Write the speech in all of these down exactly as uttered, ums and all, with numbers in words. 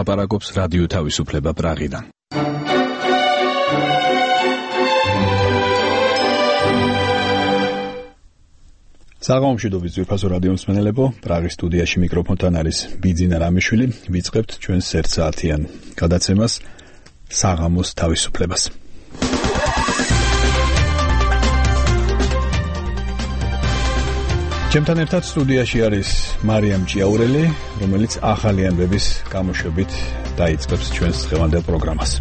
ლაპარაკობს რადიო თავისუფლება პრაღიდან. საღამომშვიდობის ძვირფასო რადიო მსმენელებო, პრაღის სტუდიაში მიკროფონთან არის ბიძინა რამიშვილი. ვიწყებთ ჩვენს ერთსაათიან გადაცემას საღამოს თავისუფლებას. ჩემთან ერთად სტუდიაში არის მარიამ ჭიაურელი, რომელიც ახალი ამბების გამოშვებით დაიწყებს ჩვენს დღევანდელ პროგრამას.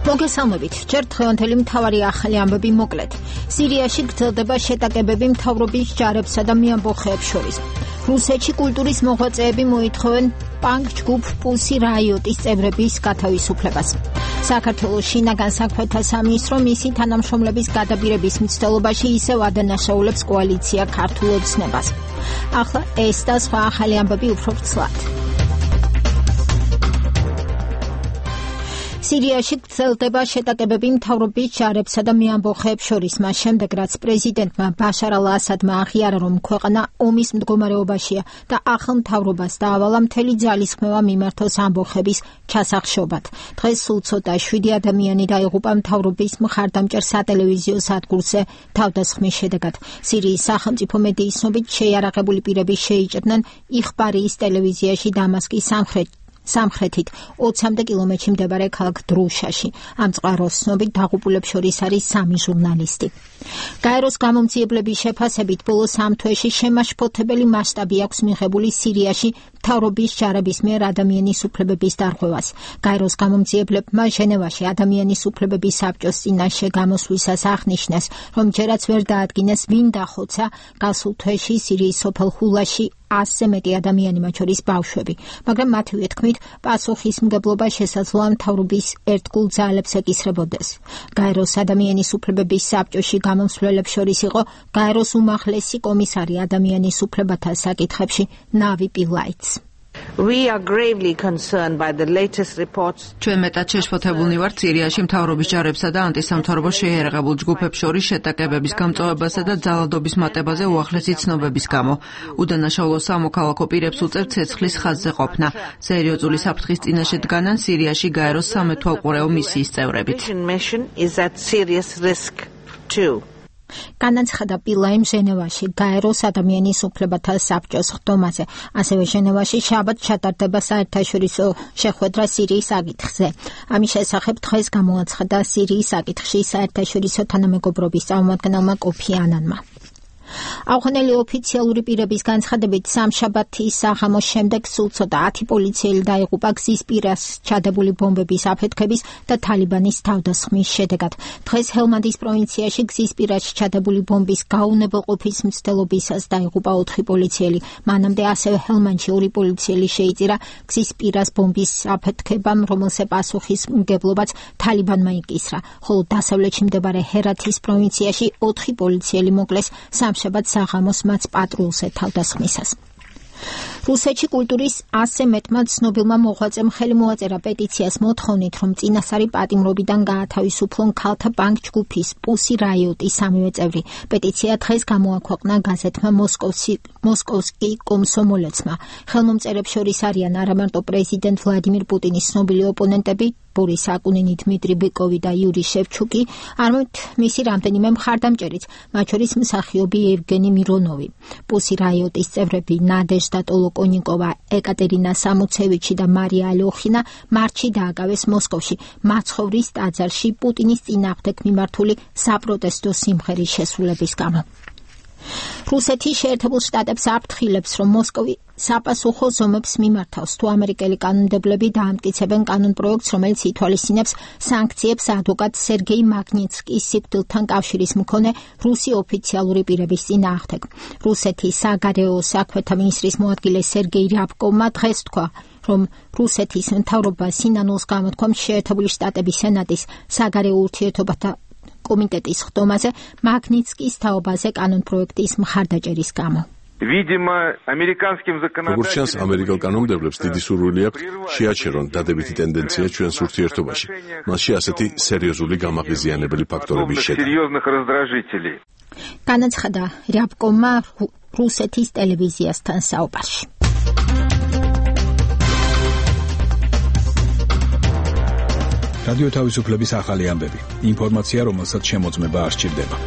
მოგესალმებით. ჯერ დღევანდელი მთავარი ახალი ამბები მოკლედ. სირიაში გრძელდება შეტაკებები მთავრობის ჯარებსა და მეამბოხეებს შორის. რუსეთში კულტურის მოღვაწეები მოითხოვენ პანკ ჯგუფ პუსი რაიოტის წევრების გათავისუფლებას. საქართველოს შინაგან საქმეთა სამინისტრო მისი თანამშრომლების გადაბირების მცდელობაში ისევ ადანაშაულებს კოალიცია ქართულ ოცნებას. ახლა ეს და სხვა ახალი ამბები უფრო ვრცლად. სირიაში გრძელდება შეტაკებები მთავრობის ჯარებსა და მეამბოხეებს შორის, მას შემდეგ რაც პრეზიდენტმა ბაშარ ალ-ასადმა აღიარა, რომ ქვეყანა ომის მდგომარეობაშია და ახალ მთავრობას დაავალა მთელი ძალისხმევა მიმართოს ამბოხების ჩასახშობად. დღეს სულ ცოტა შვიდი ადამიანი დაიღუპა მთავრობის მხარდამჭერ სატელევიზიო სადგურზე თავდასხმის შედეგად. სირიის სახელმწიფო მედიის ცნობით შეიარაღებული პირები შეიჭრნენ იხბარიის ტელევიზიაში დამასკის სამხრეთ სამხრეთით ოცამდე კილომეტრში მდებარე ქალაქ დრუშაში. ამ წყაროს ცნობით დაღუპულებს შორის არის სამი ჟურნალისტი. გაეროს გამომძიებლების შეფასებით ბოლო სამ თვეში შემაშფოთებელი მასშტაბი აქვს მიღებული სირიაში მთავრობის ჯარების მიერ ადამიანის უფლებების დარღვევას. გაეროს გამომძიებლებმა ჟენევაში ადამიანის უფლებების საბჭოს წინაშე გამოსვლისას აღნიშნეს, რომ ჯერაც ვერ დაადგინეს ვინ დახოცა გასულ თვეში სირიის სოფელ ხულაში ასზე მეტი ადამიანი, მათ შორის ბავშვები, მაგრამ მათივე თქმით პასუხისმგებლობა შესაძლოა მთავრობის ერთგულ ძალებს ეკისრებოდეს. გაეროს ადამიანის უფლებების საბჭოში გამომცვლელებს შორის იყო გაეროს უმაღლესი კომისარი ადამიანის უფლებათა საკითხებში ნავი პილაიც. We are gravely concerned by the latest reports. ჩვენ მეტად შეშფოთებულნი ვართ სირიაში მთავრობის ჯარებსა და ანტისამთავრობო შეიარაღებულ ჯგუფებს შორის შეტაკებების გამწვავებასა და ძალადობის მატებაზე უახლესი ცნობების გამო. უდანაშაულო სამოქალაქო პირებს უწევთ ცეცხლის ხაზზე ყოფნა. სერიოზული საფრთხის წინაშე დგანან სირიაში გაეროს სამეთვალყურეო მისიის წევრებით. განაცხადა პილაიმ ჟენევაში გაეროს ადამიანის უფლებათა საბჭოს ხდომაზე. ასევე ჟენევაში შაბათ ჩატარდება საერთაშორისო შეხვედრა სირიის საკითხზე. ამის შესახებ დღეს გამოაცხადა სირიის საკითხში საერთაშორისო თანამეგობრობის წარმომადგენელმა კოფი ანანმა. ავღანელი ოფიციალური პირების განცხადებით სამშაბათის საღამოს შემდეგ სულ ცოტა ათი პოლიციელი დაიღუპა გზის პირას ჩადებული ბომბების აფეთქების და თალიბანის თავდასხმის შედეგად. დღეს ჰელმანდის პროვინციაში გზის პირას ჩადებული ბომბის გაუნებელყოფის მცდელობისას დაიღუპა ოთხი პოლიციელი. მანამდე ასევე ჰელმანდში ორი პოლიციელი შეიწირა გზის პირას ბომბის აფეთქებამ, რომელზე პასუხისმგებლობაც თალიბანმა იკისრა, ხოლო დასავლეთში მდებარე ჰერათის პროვინციაში ოთხი პოლიციელი მოკლეს სამშაბათ საღამოს მათ პატრულზე თავდასხმისას. რუსეთში კულტურის ასზე მეტმა ცნობილმა მოღვაწემ ხელი მოაწერა პეტიციას მოთხოვნით, რომ წინასწარი პატიმრობიდან გაათავისუფლონ ქალთა პანკ ჯგუფის პუსი რაიოტის სამივე წევრი. პეტიცია დღეს გამოაქვეყნა გაზეთმა მოსკოვსკი კომსომოლეცმა. ხელმომწერებს შორის არიან არამარტო პრეზიდენტ ვლადიმირ პუტინის ცნობილი ოპონენტები ბორის აკუნინი, დმიტრი ბიკოვი და იური შევჩუკი, არამედ მისი რამდენიმე მხარდამჭერიც, მათ შორის მსახიობი ევგენი მირონოვი. პუსი რაიოტის წევრები ნადეჟდა ტოლოკონიკოვა, ეკატერინა სამუცევიჩი და მარია ალოხინა მარტში დააკავეს მოსკოვში, მაცხოვრის ტაძარში პუტინის წინააღმდეგ მიმართული საპროტესტო სიმღერის შესრულების გამო. რუსეთი შეერთებულ შტატებს აფრთხილებს, რომ მოსკოვი საპასუხო ზომებს მიმართავს, თუ ამერიკელი კანონმდებლები დაამტკიცებენ კანონპროექტს, რომელიც ითვალისწინებს სანქციებს ადვოკატ სერგეი მაგნიცკის სიკვდილთან კავშირის მქონე რუსი ოფიციალური პირების წინააღმდეგ. რუსეთის საგარეო საქმეთა მინისტრის მოადგილე სერგეი რიაბკოვმა დღეს თქვა, რომ რუსეთის მთავრობა სინანულს გამოთქვამს შეერთებული შტატების სენატის საგარეო ურთიერთობათა კომიტეტის ხდომაზე მაგნიცკის თაობაზე კანონპროექტის მხარდაჭერის გამო. როგორც ჩანს, ამერიკელ კანონმდებლებს დიდი სურვილი აქვთ შეაჩერონ დადებითი ტენდენცია ჩვენს ურთიერთობაში, მასში ასეთი სერიოზული გამაღიზიანებელი ფაქტორების შედგენა. განაცხადა რიაბკოვმა რუსეთის ტელევიზიასთან საუბარში. რადიო თავისუფლების ახალი ამბები. ინფორმაცია, რომელსაც შემოწმება არ სჭირდება.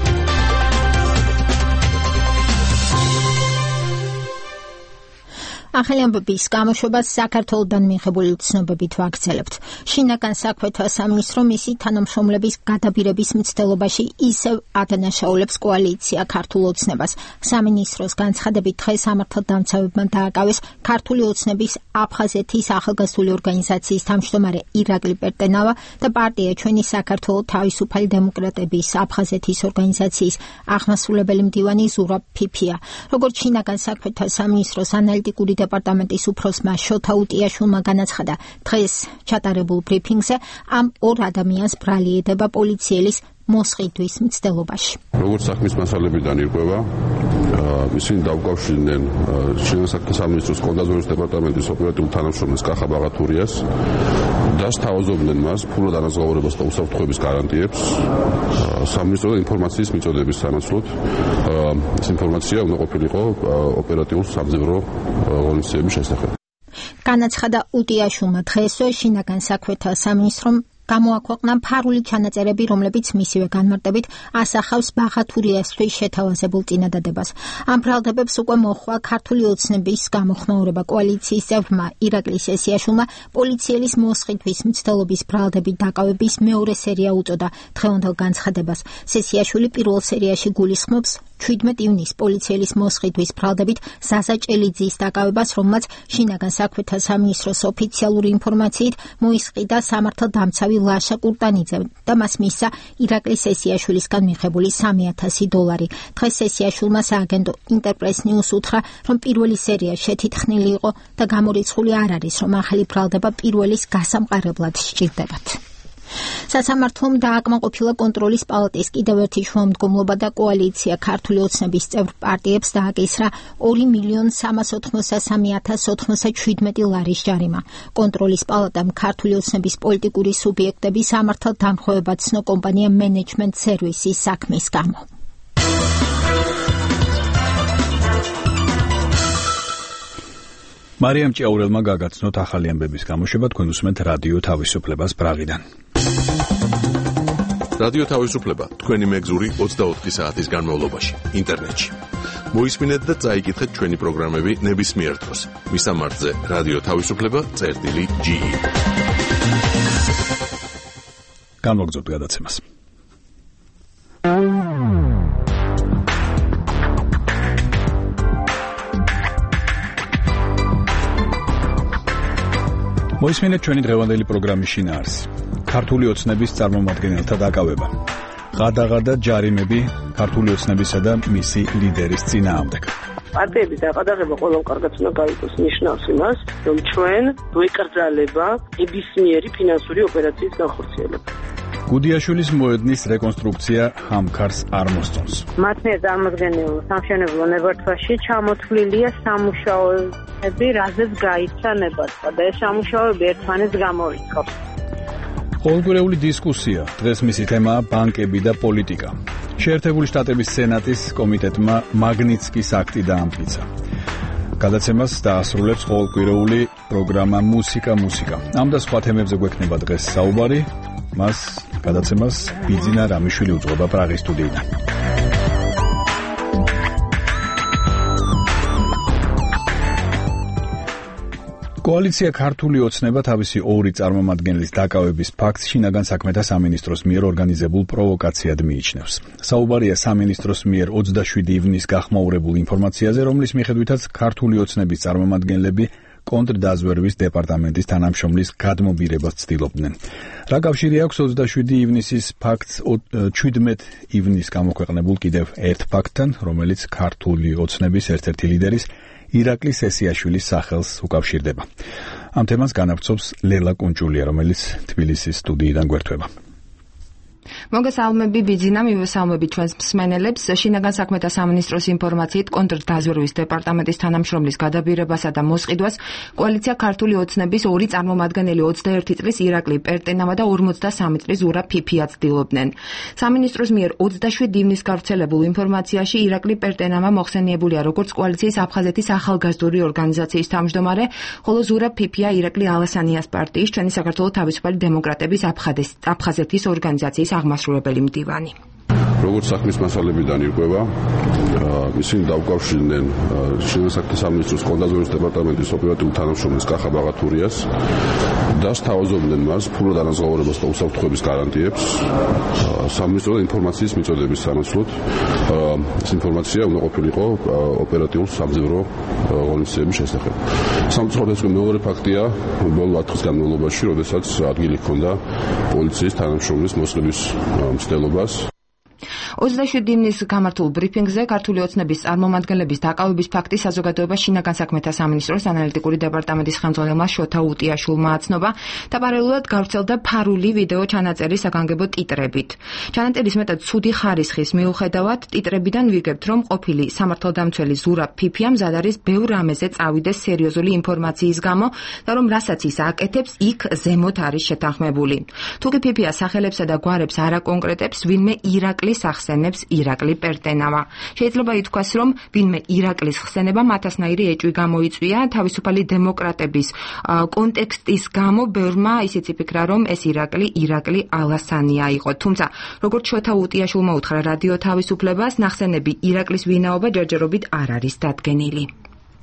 ახალი ამბების გამოშვებას საქართველოდან მიღებული ცნობებით ვაგრძელებთ. შინაგან საქმეთა სამინისტრო მისი თანამშრომლების გადაბირების მცდელობაში ისევ ადანაშაულებს კოალიცია ქართულ ოცნებას. სამინისტროს განცხადებით დღეს სამართალდამცავებმა დააკავეს ქართული ოცნების აფხაზეთის ახალგაზრდული ორგანიზაციის თავმჯდომარე ირაკლი პერტენავა და პარტია ჩვენი საქართველო თავისუფალი დემოკრატების აფხაზეთის ორგანიზაციის აღმასრულებელი მდივანი ზურაბ ფიფია. როგორც შინაგან საქმეთა სამინისტროს ანალიტიკური დეპარტამენტის უფროსმა შოთა უტიაშვილმა განაცხადა, დღეს ჩატარებულ ბრიფინგზე ამ ორ ადამიანს ბრალი ედება პოლიციელის მოსყიდვის მცდელობაში. როგორც საქმის მასალებიდან ირკვევა, ისინი დაუკავშირდნენ შინაგან საქმეთა სამინისტროს კონტროლის დეპარტამენტის ოპერატიულ თანამშრომელს კახა ბაღათურიას და სთავაზობდნენ მას ფულად ანაზღაურებას და უსაფრთხოების გარანტიებს სამინისტრო ინფორმაციის მიწოდების სანაცვლოდ. ეს ინფორმაცია უნდა ყოფილიყო ოპერატიულ სამძებრო ღონისძიების შესახებ. განაცხადა უტიაშვილმა დღესვე შინაგან საქმეთა სამინისტრომ გამოაქვეყნა ფარული ჩანაწერები, რომლებიც მისივე განმარტებით ასახავს ბაღათურიასთვის შეთავაზებულ წინადადებას. ამ ბრალდებებს უკვე მოჰყვა ქართული ოცნების გამოხმაურება. კოალიციის წევრმა ირაკლი სესიაშვილმა პოლიციელის მოსყიდვის მცდელობის ბრალდებით დაკავების მეორე სერია უწოდა დღევანდელ განცხადებას. სესიაშვილი პირველ სერიაში გულისხმობს შვიდმეტ ივნისს პოლიციელის მოსყიდვის ბრალდებით ზაზა ჭელიძის დაკავებას, რომელმაც შინაგან საქმეთა სამინისტროს ოფიციალური ინფორმაციით მოისყიდა სამართალდამცავი ლაშა კურტანიძე და მას მისცა ირაკლი სესიაშვილისგან მიღებული სამი ათასი დოლარი. დღეს სესიაშვილმა სააგენტო ინტერპრეს ნიუს უთხრა, რომ პირველი სერია შეთითხნილი იყო და გამორიცხული არ არის, რომ ახალი ბრალდება პირველის გასამყარებლად სჭირდებათ. სასამართლომ დააკმაყოფილა კონტროლის პალატის კიდევ ერთი შუამდგომლობა და კოალიცია ქართული ოცნების წევრ პარტიებს დააკისრა ორი მილიონი სამას ოთხმოცდასამი ათას ოცდაშვიდმეტი ლარის ჯარიმა. კონტროლის პალატამ ქართული ოცნების პოლიტიკური სუბიექტების სამართალდამხმოვება ცნო კომპანია მენეჯმენტ სერვისის საქმის გამო. მარიამ ჭიაურელმა გაგაცნოთ ახალი ამბების გამოშვება, თქვენ უსმენთ რადიო თავისუფლებას პრაღიდან. რადიო თავისუფლება თქვენი მეგზური ოცდაოთხი საათის განმავლობაში ინტერნეტში. მოისმინეთ და წაიკითხეთ ჩვენი პროგრამები ნებისმიერ დროს. მისამართზე რადიო თავისუფლება წერტილი ჯი ი. განვაგრძობთ გადაცემას. მოისმინეთ ჩვენი დღევანდელი პროგრამის შინაარსი. ქართული ოცნების წარმომადგენელთა დაკავება. ღადაღადა ჯარიმები ქართული ოცნებისა და მისი ლიდერის წინააღმდეგ. პარტიების დაყადაღება ყველამ კარგად უნდა გაიგოს, ნიშნავს იმას, რომ ჩვენ ვეკრძალება ნებისმიერი ფინანსური ოპერაციის განხორციელება. გუდიაშვილის მოედნის რეკონსტრუქცია ჰამქარს არ მოსწონს. მათ მიერ წარმოქმნილ სამშენებლო ნებართვაში ჩამოთვლილია სამუშაოები, რაზეც გაიცა ნებართვა და ეს სამუშაოები ერთმანეთს გამორიცხავს. ყოველკვირეული დისკუსია. დღეს მისი თემაა ბანკები და პოლიტიკა. შეერთებული შტატების სენატის კომიტეტმა მაგნიცკის აქტი დაამტკიცა. გადაცემას დაასრულებს ყოველკვირეული პროგრამა მუსიკა მუსიკა. ამ და სხვა თემებზე გვექნება დღეს საუბარი. მას გადაცემას ბიძინა რამიშვილი უძღვება პრაღის სტუდიიდან. კოალიცია ქართული ოცნება თავისი ორი წარმომადგენლის დაკავების ფაქტს შინაგან საქმეთა სამინისტროს მიერ ორგანიზებულ პროვოკაციად მიიჩნევს. საუბარია სამინისტროს მიერ ოცდაშვიდი ივნისს გახმაურებულ ინფორმაციაზე, რომლის მიხედვითაც ქართული ოცნების წარმომადგენლები კონტრდაზვერვის დეპარტამენტის თანამშრომლის გადმობირებას ცდილობდნენ. რა კავშირი აქვს ოცდაშვიდი ივნისის ფაქტს შვიდმეტ ივნისს გამოქვეყნებულ კიდევ ერთ ფაქტთან, რომელიც ქართული ოცნების ერთ-ერთი ლიდერის ირაკლი სესიაშვილის სახელს უკავშირდება. ამ თემას განავრცობს ლელა კუნჭულია, რომელიც თბილისის სტუდიიდან გვერდება. მოგესალმები ბიძინა, მივესალმები ჩვენს მსმენელებს. შინაგან საქმეთა სამინისტროს ინფორმაციით კონტრდაზვერვის დეპარტამენტის თანამშრომლის გადაბირებასა და მოსყიდვას კოალიცია ქართული ოცნების ორი წარმომადგენელი ოცდაერთი წლის ირაკლი პერტენავა და ორმოცდასამი წლის ზურაბ ფიფია ცდილობდნენ. სამინისტროს მიერ ოცდაშვიდ ივნის გავრცელებულ ინფორმაციაში ირაკლი პერტენავა მოხსენიებულია როგორც კოალიციის აფხაზეთის ახალგაზრდული ორგანიზაციის თავმჯდომარე, ხოლო ზურაბ ფიფია ირაკლი ალასანიას პარტიის ჩვენი საქართველოს თავისუფალი დემოკრატების აფხაზეთის ორგანიზაციის აღმასრულებელი მდივანი. როგორც საქმის მასალებიდან ირკვევა, ისინი დაუკავშირდნენ შინაგან საქმეთა სამინისტროს კონტრდაზვერვის დეპარტამენტის ოპერატიულ თანამშრომლის კახა ბაღათურიას და სთავაზობდნენ მას ფულო დანაზღაურებას და უსაფრთხოების გარანტიებს სამინისტროს ინფორმაციის მიწოდების სანაცვლოდ. ეს ინფორმაცია უნდა ყოფილიყო ოპერატიულ სამძებრო ღონისძიების შესახებ. სამწუხაროდ მეორე ფაქტია ბოლო ათ წლის განმავლობაში, როდესაც ადგილი ჰქონდა პოლიციის თანამშრომლის მოსყიდვის მცდელობას. ოცდაშვიდ ივნის გამართულ ბრიფინგზე ქართული ოცნების წარმომადგენლების დაკავების ფაქტი საზოგადოება შინაგან საქმეთა სამინისტროს ანალიტიკური დეპარტამენტის ხელმძღვანელმა შოთა უტიაშვილმა აცნობა და პარალელურად გავრცელდა ფარული ვიდეო ჩანაწერი საგანგებო ტიტრებით. ჩანაწერის მეტად ცუდი ხარისხის მიუხედავად ტიტრებიდან ვიგებთ, რომ ყოფილი სამართალდამცველი ზურაბ ფიფია მზად არის ბევრ რამეზე წავიდეს სერიოზული ინფორმაციის გამო და რომ რასაც ის აკეთებს, იქ ზემოთ არის შეთანხმებული. თუკი ფიფია სახელებსა და გვარებს არ აკონკრეტებს, ვინმე ირაკლის ახსენებს ირაკლი პერტენავა. შეიძლება ითქვას, რომ ვინმე ირაკლის ხსენება მათასნაირი ეჭვი გამოიწვია თავისუფალი დემოკრატების კონტექსტის გამო ბევრმა ისიც იფიქრა, რომ ეს ირაკლი ირაკლი ალასანია იყო. თუმცა, როგორც შოთა უტიაშვილმა უთხრა რადიო თავისუფლებას, ნახსენები ირაკლის ვინაობა ჯერჯერობით არ არის დადგენილი.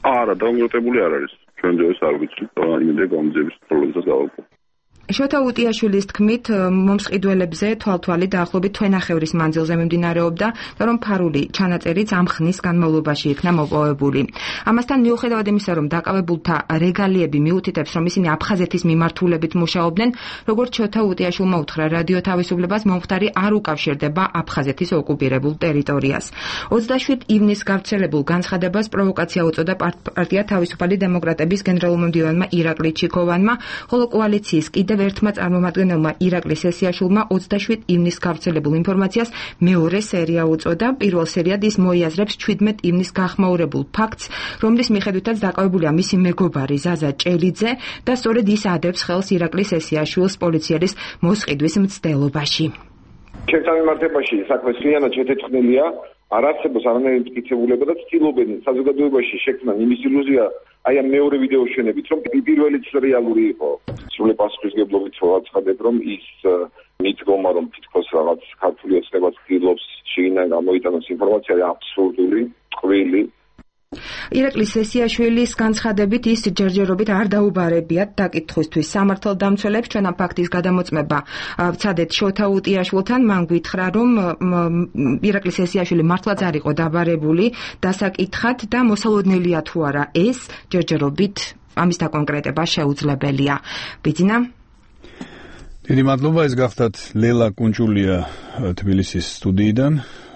არა, დამოკიდებული არ არის. ჩვენ ძეს არ ვიცით, იმედია გამოძიების პრობლემას გავაკეთებთ. შოთა უტიაშვილის თქმით, მომსყიდველებზე თვალთვალი დაახლოებით თვენახევრის მანძილზე მიმდინარეობდა და რომ ფარული ჩანაწერიც ამ ხნის განმავლობაში იქნა მოპოვებული. ამასთან მიუხედავად იმისა, რომ დაკავებულთა რეგალიები მიუთითებს, რომ ისინი აფხაზეთის მიმართულებით მუშაობდნენ, როგორც შოთა უტიაშვილმა უთხრა რადიო თავისუფლებას, მომხდარი არ უკავშირდება აფხაზეთის ოკუპირებულ ტერიტორიას. ოცდაშვიდ ივნის გავრცელებულ განცხადებას პროვოკაცია უწოდა პარტია თავისუფალი დემოკრატების გენერალურმა მდივანმა ირაკლი ჩიქოვანმა, ხოლო კოალიციის კიდევ ერთმა წარმომადგენელმა ირაკლი სესიაშვილმა ოცდაშვიდ ივნის გავრცელებულ ინფორმაციას მეორე სერია უწოდა. პირველ სერიად ის მოიაზრებს ჩვიდმეტ ივნის გახმაურებულ ფაქტს, რომლის მიხედვითაც დაკავებულია მისი მეგობარი ზაზა ჭელიძე და სწორედ ის ადებს ხელს ირაკლი სესიაშვილს პოლიციის მოსყიდვის მცდელობაში. ჩემთან მიმართებაში საქმე სრიალად შეთეთხმილია, არ არსებობს არანაირი მტკიცებულება და ცდილობენ საზოგადოებაში შექმნან იმის ილუზია, აი ამ მეორე ვიდეოს შენებით, რომ პირველიც რეალური იყო. სრული პასუხისმგებლობით ვაცხადებ, რომ ის მიდგომა, რომ თითქოს რაღაც ქართული ოცნება ცდილობს შინაგან გამოიტანოს ინფორმაცია, აბსურდული, ტყუილი. ირაკლი სესიაშვილის განცხადებით ის ჯერჯერობით არ დაუბარებიათ დაკითხვისთვის. სამართალდამცველებს ჩვენ ამ ფაქტის გადამოწმება ვცადეთ შოთა უტიაშვილთან, მან გითხრა, რომ ირაკლი სესიაშვილი მართლაც არ იყო დაბარებული დასაკითხად და მოსალოდნელია თუ არა ეს ჯერჯერობით ამის დაკონკრეტება შეუძლებელია. ბიძინა დიდი მადლობა, ეს გახდათ ლელა კუნჭულია თბილისის სტუდიიდან.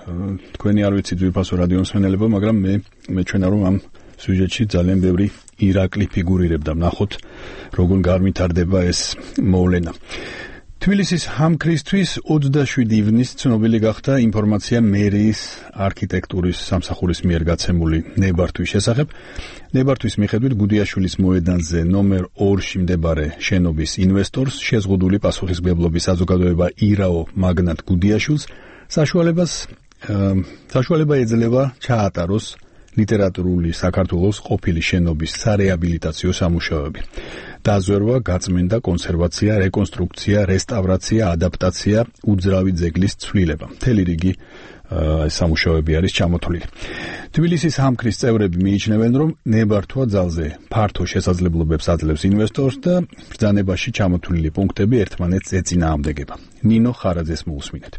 თქვენი არ ვიცით ვიფასო რადიო მსმენელებო, მაგრამ მე მეჩვენა რომ ამ სიუჟეტში ძალიან ბევრი ირაკლი ფიგურირებდა. ნახოთ როგორ განვითარდება ეს მოვლენა. თბილისის ჰამქრისთვის ოცდაშვიდ ივნის ცნობილი გახდა ინფორმაცია მერიის არქიტექტურის სამსახურის მიერ გაცემული ნებართვის შესახებ. ნებართვის მიხედვით გუდიაშვილის მოედანზე ნომერ ორში მდებარე შენობის ინვესტორს შეზღუდული პასუხისმგებლობის საზოგადოება ირაო მაგნატ გუდიაშვილს საშუალებას საშუალება ეძლევა ჩაატაროს ლიტერატურული საქართველოს ყოფილი შენობის სარეაბილიტაციო სამუშაოები. დაზვერვა, გაწმენდა, კონსერვაცია, რეკონსტრუქცია, რესტავრაცია, ადაპტაცია, უძრავი ძეგლის ცვლილება. მთელი რიგი ეს სამუშაოები არის ჩამოთვლილი. თბილისის ჰამქრის წევრები მიიჩნევენ, რომ ნებართვა ძალზე ფართო შესაძლებლობებს აძლევს ინვესტორს და ბრძანებაში ჩამოთვლილი პუნქტები ერთმანეთს ეწინააღმდეგება. ნინო ხარაძეს მოусმინეთ.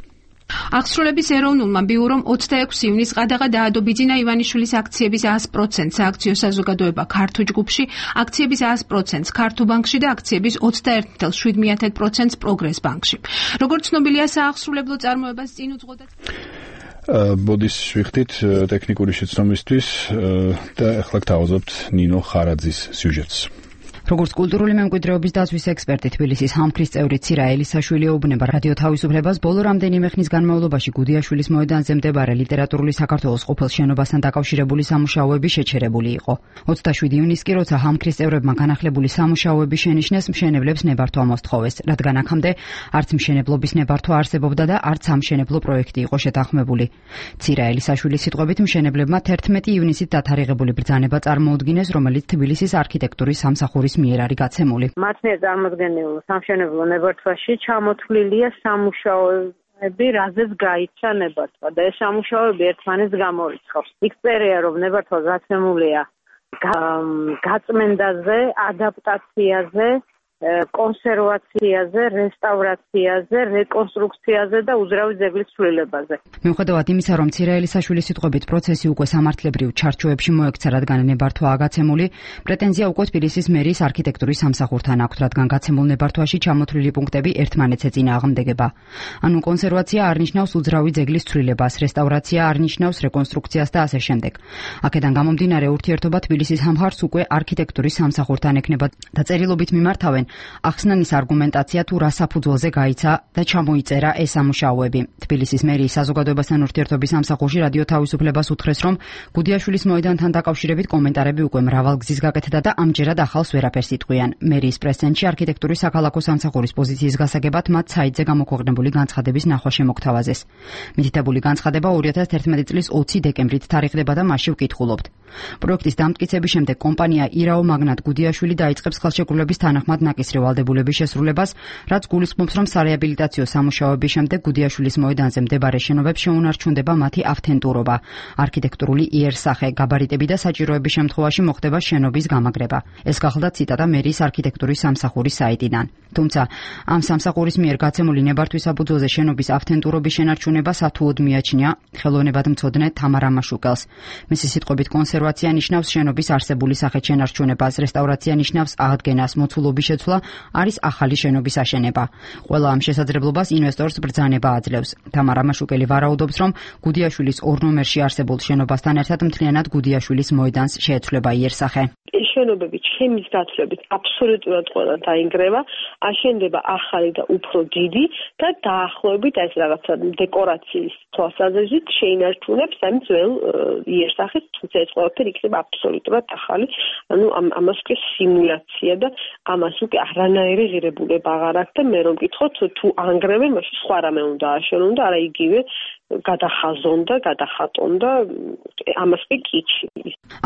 აღსრულების ეროვნულმა ბიურომ ოცდაექვსი ივნის ყადაღა დაადო ბიძინა ივანიშვილის აქციების sto პროცენტს სააქციო საზოგადოება ქართულ ჯგუფში, აქციების sto პროცენტს ქართულ ბანკში და აქციების ოცდაერთი ათას შვიდ პროცენტს პროგრეს ბანკში. როგორც ცნობილია, სააღსრულებლო წარმოებას წინ უძღოდა ბოდის შევხვდით ტექნიკური შეცდომისთვის და ახლა გთავაზობთ ნინო ხარაძის სიუჟეტს. როგორც კულტურული მემკვიდრეობის დაცვის ექსპერტი თბილისის ჰამქრის წევრი ცირა ელისაშვილი ეუბნება რადიო თავისუფლებას, ბოლო რამდენიმე ხნის განმავლობაში გუდიაშვილის მოედანზე მდებარე ლიტერატურული საქართველოს ყოფილ შენობასთან დაკავშირებული სამუშაოები შეჩერებული იყო. ოცდაშვიდი ივნისს კი როცა ჰამქრის წევრებმა განახლებული სამუშაოები შენიშნეს, მშენებლებს ნებართვა მოსთხოვეს, რადგან აქამდე არც მშენებლობის ნებართვა არსებობდა და არც სამშენებლო პროექტი იყო შეთანხმებული. ცირა ელისაშვილის სიტყვებით, მშენებლებმა თერთმეტი ივნისით დათარიღებული ბრძანება წარმოუდგინეს, რომელიც თბილისის არქიტექტურის სამსახურის მიერ არის გაცემული. მათ მიერ წარმოდგენილ სამშენებლო ნებართვაში ჩამოთვლილია სამუშაოები, რაზეც გაიცა ნებართვა და ეს სამუშაოები ერთმანეთს გამორიცხავს. იქ წერია, რომ ნებართვა გაცემულია გაწმენდაზე, ადაპტაციაზე, კონსერვაციაზე, რესტავრაციაზე, რეკონსტრუქციაზე და უძრავი ძეგლის ცვლილებაზე. მიუხედავად იმისა, რომ ცირა ელისაშვილის სიტყვებით პროცესი უკვე სამართლებრივ ჩარჩოებში მოექცა, რადგან ნებართვაა გაცემული, პრეტენზია უკვე თბილისის მერიის არქიტექტურის სამსახურთან აქვს, რადგან გაცემულ ნებართვაში ჩამოთვლილი პუნქტები ერთმანეთს ეწინააღმდეგება. ანუ კონსერვაცია არ ნიშნავს უძრავი ძეგლის ცვლილებას, რესტავრაცია არ ნიშნავს რეკონსტრუქციას და ასე შემდეგ. აქედან გამომდინარე, ურთიერთობა თბილისის ამხარს უკვე არქიტექტურის სამსახურთან ექნება და წერილობით მიმართავენ ახსნანის არგუმენტაცია თუ რა საფუძველზე გაიცა და ჩამოიწერა ეს სამუშაოები. თბილისის მერიის საზოგადოებასთან ურთიერთობის სამსახურში რადიო თავისუფლებას უთხრეს, რომ გუდიაშვილის მოედანთან დაკავშირებით კომენტარები უკვე მრავალგზის გაკეთდა და ამჯერად ახალს ვერაფერს იტყვიან. მერიის პრეს-ცენტრში არქიტექტურის საქალაქო სამსახურის პოზიციის გასაგებად მათ საიტზე გამოქვეყნებული განცხადების ნახვა შემოგთავაზეს. მითითებული განცხადება ორი ათას თერთმეტი წლის ოცი დეკემბრით თარიღდება და მასში ვკითხულობთ. პროექტის დამტკიცების შემდეგ კომპანია ირაო მაგნატ გუდიაშვილი დაიწყებს ხელშეკრულების თანახმად ნაკისრი ვალდებულების შესრულებას, რაც გულისხმობს, რომ სარეაბილიტაციო სამუშაოების შემდეგ გუდიაშვილის მოედანზე მდებარე შენობებს შეუნარჩუნდება მათი ავთენტურობა, არქიტექტურული იერსახე, გაბარიტები და საჭიროების შემთხვევაში მოხდება შენობის გამაგრება. ეს გახლდა ციტატა მერიის არქიტექტურის სამსახურის საიტიდან. თუმცა ამ სამსახურის მიერ გაცემული ნებართვის საფუძველზე შენობის ავთენტურობის შენარჩუნება სათუოდ მიაჩნია ხელოვნებადმცოდნე თამარა მაშუკელს. მისი სიტყვებით, კონსერვაცია ნიშნავს შენობის არსებული სახით შენარჩუნებას, რესტავრაცია ნიშნავს აღდგენას, მოცულობის შეცვლა არის ახალი შენობის აშენება. ყველა ამ შესაძლებლობას ინვესტორს ბრძანება აძლევს. თამარა მაშუკელი ვარაუდობს, რომ გუდიაშვილის ორ ნომერში არსებულ შენობასთან ერთად მთლიანად გუდიაშვილის მოედანს შეეცვლება იერსახე. შენობები ჩემის გაცვლებით აბსოლუტურად ყველა დაინგრევა, აშენდება ახალი და უფრო დიდი და დაახლოებით ეს რაღაცა დეკორაციის თვალსაზრისით შეინარჩუნებს ამ ძველ იერსახეს, თუმცა ეს ყველაფერი იქნება აბსოლუტურად ახალი, ანუ ამას უკვე სიმულაცია და ამას უკვე არანაირი ღირებულება აღარ აქვს და მე რომ მკითხოთ თუ ანგრევენ, მაშინ სხვა რამე უნდა აშენონ და არა იგივე გადახაზონ და გადახატონ და ამას კი კიჩი.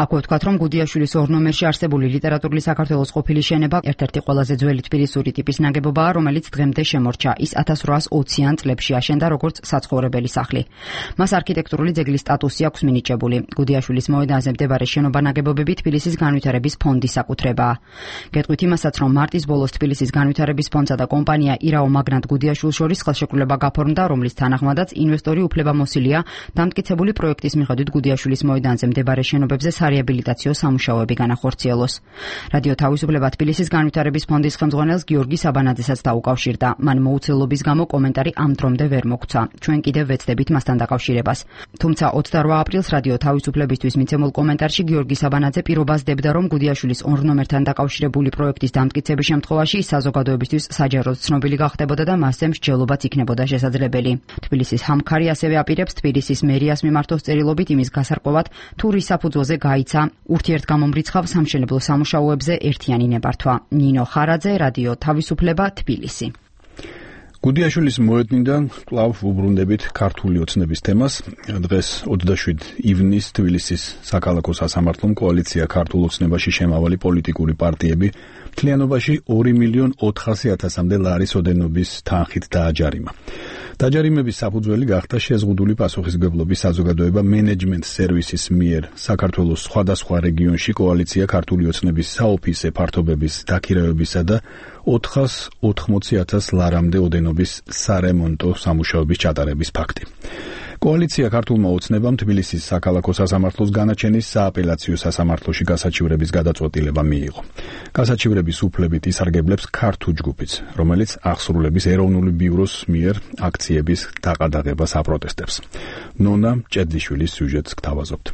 აქვე ვთქვათ, რომ გუდიაშვილის ორ ნომერში არსებული ლიტერატურული საქართველოს ყოფილი შენება ერთ-ერთი ყველაზე ძველი თბილისური ტიპის ნაგებობაა, რომელიც დღემდე შემორჩა. ის ათას რვაას ოციან წლებში აშენდა როგორც საცხოვრებელი სახლი. მას არქიტექტურული ძეგლის სტატუსი აქვს მინიჭებული. გუდიაშვილის მოედანზე მდებარე შენობა-ნაგებობები თბილისის განვითარების ფონდის საკუთრებაა. გეტყვით იმასაც, რომ მარტის ბოლოს თბილისის განვითარების ფონდსა და კომპანია ირაო მაგნატ გუდიაშვილს შორის ხელშეკრულება გაფორმდა, რომლის თანახმადაც ინვესტორი უფლებამოსილია დამტკიცებული პროექტის მიხედვით გუდიაშვილის მოედანზე მდებარე შენობებზე სარეაბილიტაციო სამუშაოები განახორციელოს. რადიო თავისუფლება თბილისის განვითარების ფონდის ხელმძღვანელს გიორგი საბანაძესაც დაუკავშირდა. მან მოუცლელობის გამო კომენტარი ამ დრომდე ვერ მოგცა. ჩვენ კიდევ ვეცდებით მასთან დაკავშირებას. თუმცა ოცდარვა აპრილს რადიო თავისუფლებისთვის მიცემულ კომენტარში გიორგი საბანაძე პირობას დებდა, რომ გუდიაშვილის ორ ნომერთან დაკავშირებული პროექტის დამტკიცების შემთხვევაში ის საზოგადოებისთვის საჯაროდ ცნობილი გახდებოდა და მასზე მსჯელობაც იქნებოდა შესაძლებელი. თბილისის ჰამქარი ასევე აპირებს თბილისის მერიას მიმართოს წერილობით იმის გასარკვევად, თუ რის საფუძველზე გაიცა ურთიერთგამომრიცხავ სამშენებლო სამუშაოებზე ერთიანი ნებართვა. ნინო ხარაძე, რადიო თავისუფლება, თბილისი. გუდიაშვილის მოედნიდან კვლავ უბრუნდებით ქართული ოცნების თემას. დღეს ოცდაშვიდი ივნისს თბილისის საქალაქო სასამართლომ კოალიცია ქართულ ოცნებაში შემავალი პოლიტიკური პარტიები მთლიანობაში ორი მილიონ ოთხასი ათასამდე ლარის ოდენობის თანხით დააჯარიმა. დაჯარიმების საფუძველი გახდა შეზღუდული პასუხისმგებლობის საზოგადოება მენეჯმენტ სერვისის მიერ საქართველოს სხვადასხვა რეგიონში კოალიცია ქართული ოცნების საოფისე ფართობების დაქირავებისა და ოთხას ოთხმოცი ათას ლარამდე ოდენობის სარემონტო სამუშაოების ჩატარების ფაქტი. კოალიცია ქართულმა ოცნებამ თბილისის საქალაქო სასამართლოს განაჩენის სააპელაციო სასამართლოში გასაჩივრების გადაწყვეტილება მიიღო. გასაჩივრების უფლებით ისარგებლებს ქართულ ჯგუფიც, რომელიც აღსრულების ეროვნული ბიუროს მიერ აქციების დაყადაღებას აპროტესტებს. ნონა ჭედლიშვილის სიუჟეტს გთავაზობთ.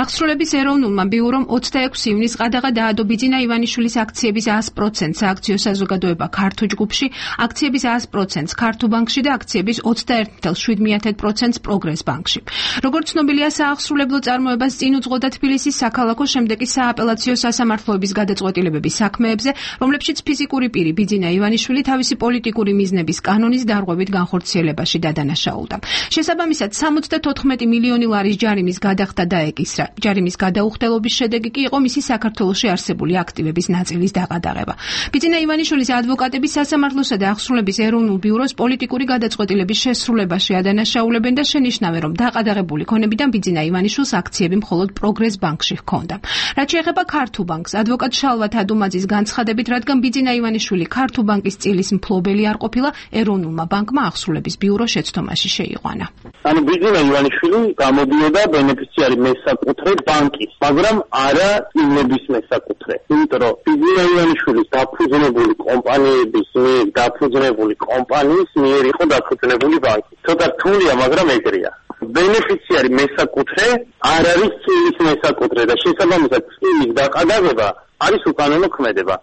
აღსრულების ეროვნულმა ბიურომ ოცდაექვსი ივნისს ყადაღა დაადო ბიძინა ივანიშვილის აქციების sto პროცენტს სააქციო საზოგადოება ქართულ ჯგუფში, აქციების sto პროცენტს ქართულ ბანკში და აქციების ოცდაერთი ათეული შვიდ პროცენტს პროგრეს ბანკში. როგორც ცნობილია, სააღსრულებლო წარმოებას წინ უძღოდა თბილისის საქალაქო, შემდეგ კი სააპელაციო სასამართლოების გადაწყვეტილებების საქმეებზე, რომლებშიც ფიზიკური პირი ბიძინა ივანიშვილი თავისი პოლიტიკური მიზნების კანონის დარღვევით განხორციელებაში დადანაშაულდა. შესაბამისად, სამოცდათოთხმეტი მილიონი ლარის ჯარიმის გადახდა დაეკისრა. ჯარიმის გადაუხდელობის შედეგი კი იყო მისი საქართველოში არსებული აქტივების ნაწილის დაყადაღება. ბიძინა ივანიშვილის ადვოკატები სასამართლოსა და აღსრულების ეროვნულ ბიუროს პოლიტიკური გადაწყვეტილების შესრულებაში ადანაშაულებენ და შენიშნავენ, რომ დაყადაღებული ქონებიდან ბიძინა ივანიშვილს აქციები მხოლოდ პროგრეს ბანკში ჰქონდა. რაც შეეხება ქართულ ბანკს, ადვოკატ შალვა თადუმაძის განცხადებით, რადგან ბიძინა ივანიშვილი ქართულ ბანკის წილის მფლობელი არ ყოფილა, ეროვნულმა ბანკმა აღსრულების ბიურო შეცდომაში შეიყვანა. ანუ ბიძინა ივანიშვილი გამოდიოდა ბენეფიციარი მესაკუთრე ბანკის, მაგრამ არა წინების მესაკუთრე. იმიტომ რომ ბიძინა ივანიშვილის დაფუძნებული კომპანიების მიერ დაფუძნებული კომპანიის მიერ იყო დაფუძნებული ბანკი. ცოტა რთულია, მაგრამ ეგრეა. ბენეფიციარი მესაკუთრე არ არის წილის მესაკუთრე და შესაბამისად წილის დაყადაღება არის უკანონო ქმედება.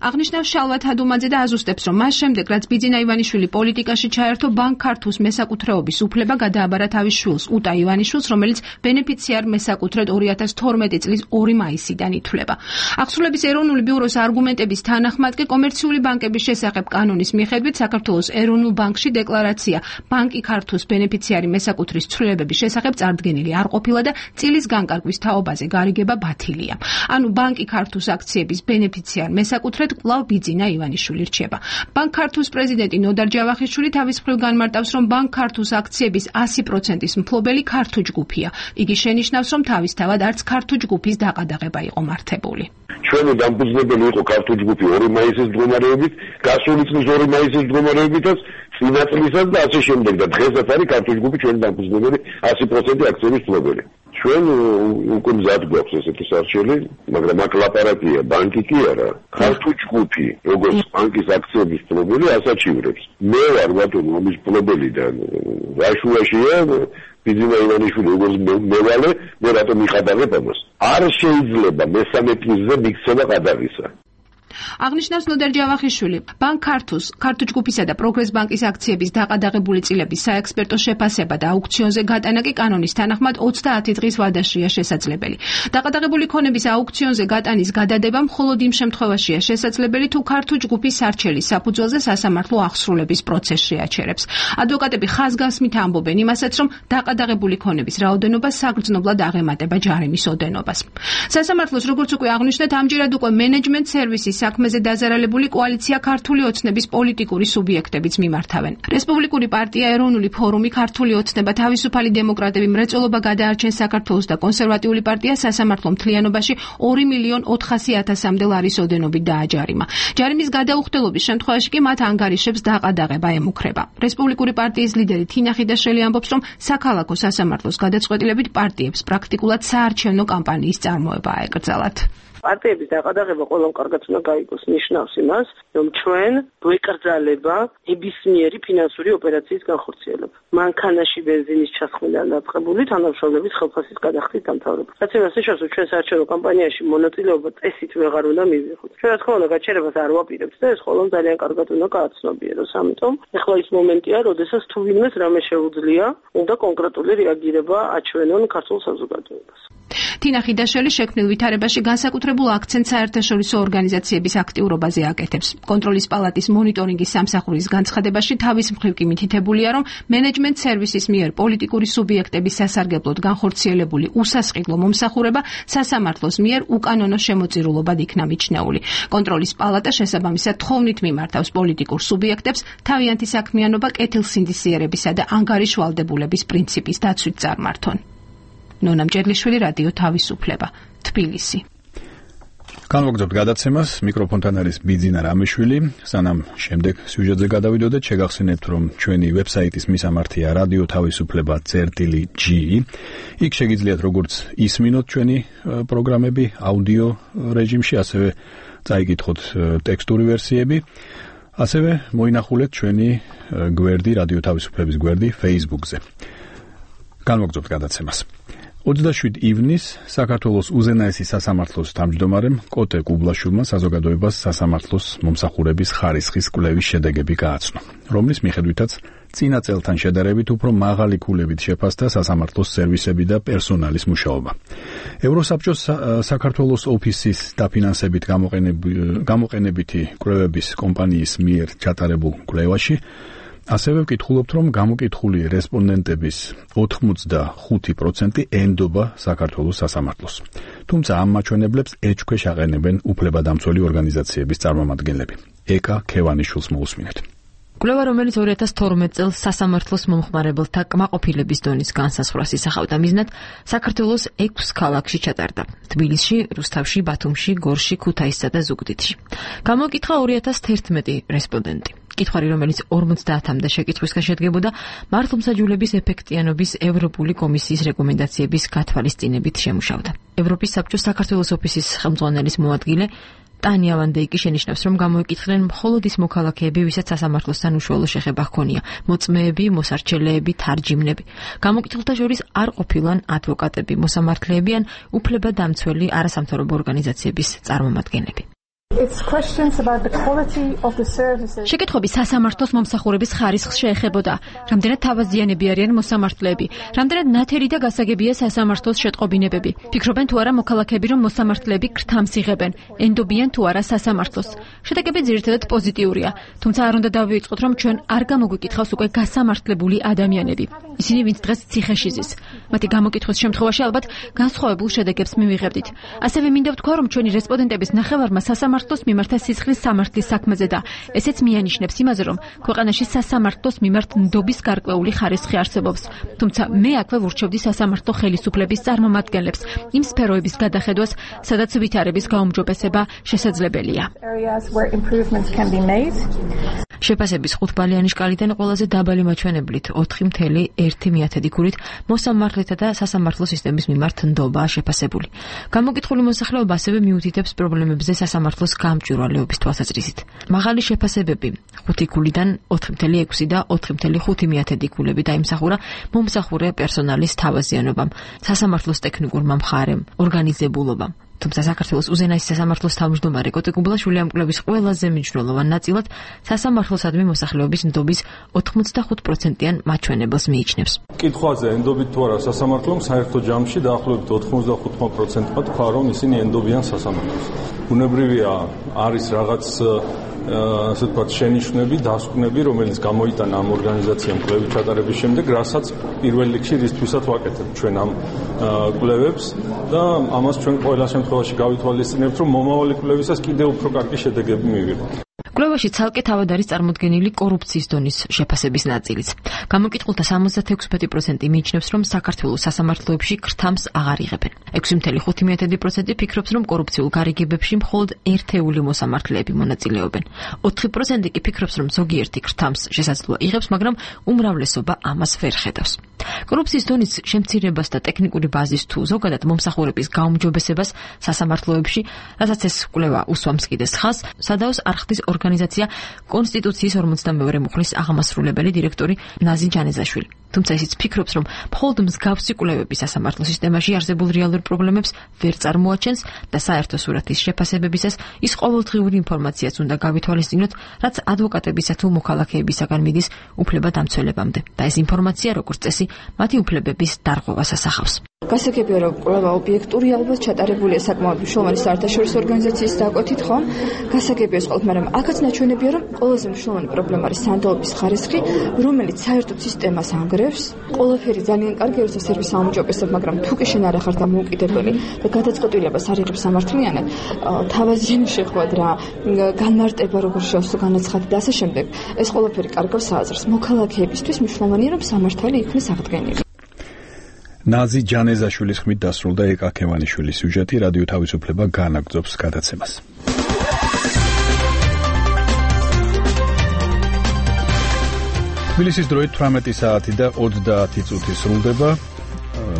აღნიშნავს შალვა თადუმაძე და აზუსტებს, რომ მას შემდეგ, რაც ბიძინა ივანიშვილი პოლიტიკაში ჩაერთო, ბანკ ქართულს მესაკუთრეობის უფლება გადააბარა თავის შვილს, უტა ივანიშვილს, რომელიც ბენეფიციარ მესაკუთრედ ორი ათას თორმეტი წლის ორი მაისიდან ითვლება. აღსრულების ეროვნული ბიუროს არგუმენტების თანახმად კი კომერციული ბანკების შესახებ კანონის მიხედვით საქართველოს ეროვნულ ბანკში დეკლარაცია ბანკი ქართულს ბენეფიციარი მესაკუთრის ცვლილებების შესახებ წარდგენილი არ ყოფილა და წილის განკარგვის თაობაზე გარიგება ბათილია. ანუ ბანკი ქართულს აქციების ბენეფიციარ მესაკუთრედ კვლავ ბიძინა ივანიშვილი რჩება. ბანკ ქართულს პრეზიდენტი ნოდარ ჯავახიშვილი თავის მხრივ განმარტავს, რომ ბანკ ქართულს აქციების ასი პროცენტის მფლობელი ქართულ ჯგუფია. იგი შენიშნავს, რომ თავისთავად არც ქართულ ჯგუფის დაყადაღება იყო მართებული. ჩვენი დამფუძნებელი იყო ქართულ ჯგუფი ორი მაისის მდგომარეობით, გასული წლის ორი მაისის მდგომარეობითაც, წინა წლისაც და ასე შემდეგ და დღესაც არის ქართულ ჯგუფი ჩვენი დამფუძნებელი ასი პროცენტი აქციების მფლობელი. ჩვენ უკვე მზად გვაქვს ესეთი სარჩელი, მაგრამ აქ ლაპარაკია, ბანკი კი არა. ქართულ ჯგუფი, როგორც ბანკის აქციების მფლობელი, ასაჩივრებს. მე ვარ ბატონო ამის მფლობელი და რაშუაშია ბიძინა ივანიშვილი როგორც მევალე, მე რატომ მიხადაღებ ამას? არ შეიძლება მესამე პირზე მიქცევა ყადაღისა. აღნიშნავს ნოდარ ჯავახიშვილი, ბანკ ქართულს, ქართულ ჯგუფისა და პროგრეს ბანკის აქციების დაყადაღებული წილების საექსპერტო შეფასება და აუქციონზე გატანა კი კანონის თანახმად ოცდაათი დღის ვადაშია შესაძლებელი. დაყადაღებული ქონების აუქციონზე გატანის გადადება მხოლოდ იმ შემთხვევაშია შესაძლებელი, თუ ქართულ ჯგუფის სარჩელის საფუძველზე სასამართლო აღსრულების პროცესში აჩერებს. ადვოკატები ხაზგასმით ამბობენ იმასაც, რომ დაყადაღებული ქონების რაოდენობა საგრძნობლად აღემატება ჯარიმის ოდენობას. სასამართლოს, როგორც უკვე აღნიშნეთ, ამჯერად უკვე მენეჯმენტ სერვისის საქმეზე დაზარალებული კოალიცია ქართული ოცნების პოლიტიკური სუბიექტებიც მიმართავენ. რესპუბლიკური პარტია ეროვნული ფორუმი ქართული ოცნება თავისუფალი დემოკრატები მრეწველობა გადაარჩენს საქართველოს და კონსერვატიული პარტია სასამართლო მთლიანობაში ორი მილიონ ოთხასი ათასამდე ლარის ოდენობით დააჯარიმა. ჯარიმის გადაუხდელობის შემთხვევაში კი მათ ანგარიშებს დაყადაღება ემუქრება. რესპუბლიკური პარტიის ლიდერი თინა ხიდაშვილი ამბობს, რომ საქალაქო სასამართლოს გადაწყვეტილებით პარტიებს პრაქტიკულად საარჩევნო კამპანიის წარმოება აეკრძალათ. პარტიების დაყადაღება ყველამ კარგად უნდა გაიგოს, ნიშნავს იმას, რომ ჩვენ გვეკრძალება ნებისმიერი ფინანსური ოპერაციის განხორციელება. მანქანაში ბენზინის ჩასხმიდან დაწყებული თანამშრომლების ხელფასის გადახდის დამთავრება. რაც იმას ნიშნავს, რომ ჩვენ საარჩევნო კამპანიაში მონაწილეობა წესით ვეღარ უნდა მივიღოთ. ჩვენ რა თქმა უნდა გაჩერებას არ ვაპირებთ და ეს ყველამ ძალიან კარგად უნდა გააცნობიეროს. ამიტომ ეხლა ის მომენტია, როდესაც თუ ვინმეს რამე შეუძლია, უნდა კონკრეტული რეაგირება აჩვენონ ქართულ საზოგადოებას. თინა ხიდაშვილი შექმნილ ვითარებაში განსაკუთრებულ აქცენტს საერთაშორისო ორგანიზაციების აქტიურობაზე აკეთებს. კონტროლის პალატის მონიტორინგის სამსახურის განცხადებაში თავის მხრივ კი მითითებულია, რომ მენეჯმენტ სერვისის მიერ პოლიტიკური სუბიექტების სასარგებლოდ განხორციელებული უსასყიდლო მომსახურება სასამართლოს მიერ უკანონო შემოწირულობად იქნა მიჩნეული. კონტროლის პალატა შესაბამისად თხოვნით მიმართავს პოლიტიკურ სუბიექტებს თავიანთი საქმიანობა კეთილსინდისიერებისა და ანგარიშვალდებულების პრინციპის დაცვით წარმართონ. ნონა მჭედლიშვილი, რადიო თავისუფლება, თბილისი. განვაგრძობთ გადაცემას, მიკროფონთან არის ბიძინა რამიშვილი. სანამ შემდეგ სიუჟეტზე გადავიდოდეთ, შეგახსენებთ, რომ ჩვენი ვებსაიტის მისამართია რადიო თავისუფლება წერტილი ჯი. იქ შეგიძლიათ როგორც ისმინოთ ჩვენი პროგრამები აუდიო რეჟიმში, ასევე წაიკითხოთ ტექსტური ვერსიები. ასევე მოინახულეთ ჩვენი გვერდი, რადიო თავისუფლების გვერდი Facebook-ზე. განვაგრძობთ გადაცემას. ოცდაშვიდი ივნის საქართველოს უზენაესი სასამართლოს თავმჯდომარემ კოტე კუბლაშვილმა საზოგადოებას სასამართლოს მომსახურების ხარისხის კვლევის შედეგები გააცნო, რომლის მიხედვითაც წინა წელთან შედარებით უფრო მაღალი ქულებით შეფასდა სასამართლოს სერვისები და პერსონალის მუშაობა. ევროსაბჭოს საქართველოს ოფისის დაფინანსებით გამოყენებითი კვლევების კომპანიის მიერ ჩატარებულ კვლევაში ასევე ვკითხულობთ, რომ გამოკითხული რესპონდენტების ოცდახუთი პროცენტი ენდობა საქართველოს სასამართლოს. თუმცა ამ მაჩვენებლებს ეჭქვეშ აყენებენ უფლებადამცველი ორგანიზაციების წარმომადგენლები. ეკა ქევანიშვილს მოусმინეთ. კვლევა, რომელიც ორი ათას თორმეტ წელს სასამართლოს მომხმარებელთა კმაყოფილების დონის განსაზღვრას ისახავდა მიზნად, საქართველოს ექვს ქალაქში ჩატარდა: თბილისში, რუსთავში, ბათუმში, გორში, ქუთაისსა და ზუგდიდში. გამოკითხა ორი ათას თერთმეტი რესპონდენტი. კითხვარი, რომელიც ორმოცდაათამდე შეკითხვისგან შედგებოდა, მართლმსაჯულების ეფექტიანობის ევროპული კომისიის რეკომენდაციების გათვალისწინებით შემუშავდა. ევროპის საბჭოს საქართველოს ოფისის ხელმძღვანელის მოადგილე ტანია ვანდეიკი შენიშნავს, რომ გამოიკითხნენ მხოლოდ ის მოქალაქეები, ვისაც სასამართლოსთან უშუალო შეხება ჰქონია: მოწმეები, მოსარჩელეები, თარჯიმნები. გამოკითხულთა შორის არ ყოფილან ადვოკატები, მოსამართლეები ან უფლებადამცველი არასამთავრობო ორგანიზაციების წარმომადგენლები. შეკითხვები სასამართლოს მომსახურების ხარისხს შეეხებოდა: რამდენად თავაზიანები არიან მოსამართლეები, რამდენად ნათელი და გასაგებია სასამართლოს შეტყობინებები, ფიქრობენ თუ არა მოქალაქეები, რომ მოსამართლეები ქრთამს იღებენ, ენდობიან თუ არა სასამართლოს. შედეგები ძირითადად პოზიტიურია, თუმცა არ უნდა დავივიწყოთ, რომ ჩვენ არ გამოგვიკითხავს უკვე გასამართლებული ადამიანები, ისინი, ვინც დღეს ციხეში ზის. მათი გამოკითხვის შემთხვევაში ალბათ განსხვავებულ შედეგებს მივიღებდით. ასევე მინდა ვთქვა, რომ ჩვენი რესპონდენტების ნახევარმა სასამართლოს მიმართა სისხლის სამართლის საქმეზე და ესეც მიანიშნებს იმაზე, რომ ქვეყანაში სასამართლოს მიმართ ნდობის გარკვეული ხარისხი არსებობს. თუმცა მე აქვე ვურჩევდი სასამართლო ხელისუფლების წარმომადგენლებს იმ სფეროების გადახედვას, სადაც ვითარების გაუმჯობესება შესაძლებელია. შეფასების ხუთბალიანი შკალიდან ყველაზე დაბალი მაჩვენებლით ოთხი მცდე ერთი ქულით მოსამართლეთა და სასამართლო სისტემის მიმართ ნდობაა შეფასებული. გამოკითხული მოსახლეობა ასევე მიუთითებს პრობლემებზე სასამართლოს გამჭვირვალეობის თვალსაზრისით. მაღალი შეფასებები ხუთი ქულიდან ოთხი მცდე ექვსი და ოთხი მცდე ხუთი ქულები დაიმსახურა მომსახურე პერსონალის თავაზიანობამ, სასამართლოს ტექნიკურმა მხარემ, ორგანიზებულობამ. თუმცა საქართველოს უზენაესი სასამართლოს თავმჯდომარე კოტე კუბლაშვილი ამ კვლევის ყველაზე მნიშვნელოვან ნაწილად სასამართლოსადმი მოსახლეობის ნდობის ოცდახუთი პროცენტიან მაჩვენებელს მიიჩნევს. კითხვაზე ენდობით თუ არა სასამართლომ, საერთო ჯამში დაახლოებით ოცდახუთი პროცენტმა თქვა, რომ ისინი ენდობიან სასამართლოს. ბუნებრივია, არის რაღაც ასე ვთქვათ შენიშვნები, დასკვნები, რომელიც გამოიტანა ამ ორგანიზაციამ კვლევის ჩატარების შემდეგ, რასაც პირველ რიგში რისთვისაც ვაკეთებთ ჩვენ ამ კვლევებს და ამას ჩვენ ყველა შემთხვევაში გავითვალისწინებთ, რომ მომავალი კვლევისას კიდევ უფრო კარგი შედეგები მივიღოთ. კვლევაში ცალკე თავად არის წარმოდგენილი კორუფციის დონის შეფასების ნაწილიც. გამოკითხულთა სამოცდაექვსი პროცენტი მიიჩნევს, რომ საქართველოს სასამართლოებში ქრთამს აღარ იღებენ. ექვსი მცდე ხუთი პროცენტი ფიქრობს, რომ კორუფციულ გარიგებებში მხოლოდ ერთეული მოსამართლეები მონაწილეობენ. ოთხი პროცენტი კი ფიქრობს, რომ ზოგიერთი ქრთამს შესაძლოა იღებს, მაგრამ უმრავლესობა ამას ვერ ხედავს. კორუფციის დონის შემცირებას და ტექნიკური ბაზის თუ ზოგადად მომსახურების გაუმჯობესებას სასამართლოებში, რასაც ეს კვლევა უსვამს კიდეს ხაზს, სადაოს არხდის ორგანიზაცია კონსტიტუციის ორმოცდამეორე მუხლის აღმასრულებელი დირექტორი ნაზი ჯანეზაშვილი. თუმცა ისიც ფიქრობს, რომ მხოლოდ მსგავსი კვლევები სასამართლო სისტემაში არსებულ რეალურ პრობლემებს ვერ წარმოაჩენს და საერთო სურათის შეფასებებისას ის ყოველდღიური ინფორმაციაც უნდა გავითვალისწინოთ, რაც ადვოკატებისა თუ მოქალაქეებისაგან მიდის უფლებადამცველებამდე. და ეს ინფორმაცია, როგორც წესი, მათი უფლებების დარღვევას ასახავს. გასაგებია, რომ კვლევა ობიექტურია, ალბათ ჩატარებულია საკმაოდ მნიშვნელოვანი საერთაშორისო ორგანიზაციის დაკვეთით, ხო? გასაგებია ეს ყველაფერი, მაგრამ აქაც ნაჩვენებია, რომ ყველაზე მნიშვნელოვანი პრობლემა არის სანდოობის ხარისხი, რომელიც საერთოდ სისტემას ანგრევს. ყველაფერი ძალიან კარგია, როცა სერვისი აუმჯობესებ, მაგრამ თუ კი შენ არ ახარ დამოუკიდებელი და გადაწყვეტილებას არ იღებს სამართლიანად, თავაზიანი შეხვად რა, განმარტება როგორ შევსო განაცხადი და ასე შემდეგ, ეს ყველაფერი კარგავს აზრს. მოქალაქეებისთვის მნიშვნელოვანია, რომ სამართალი იქნეს აღდგენილი. ნაზი ჯანეზაშვილის ხმით დასრულდა ეკა ქევანიშვილის სიუჟეტი. რადიო თავისუფლება განაგრძობს გადაცემას. თბილისის დროით თვრამეტი საათი და ოცდაათი წუთი სრულდება.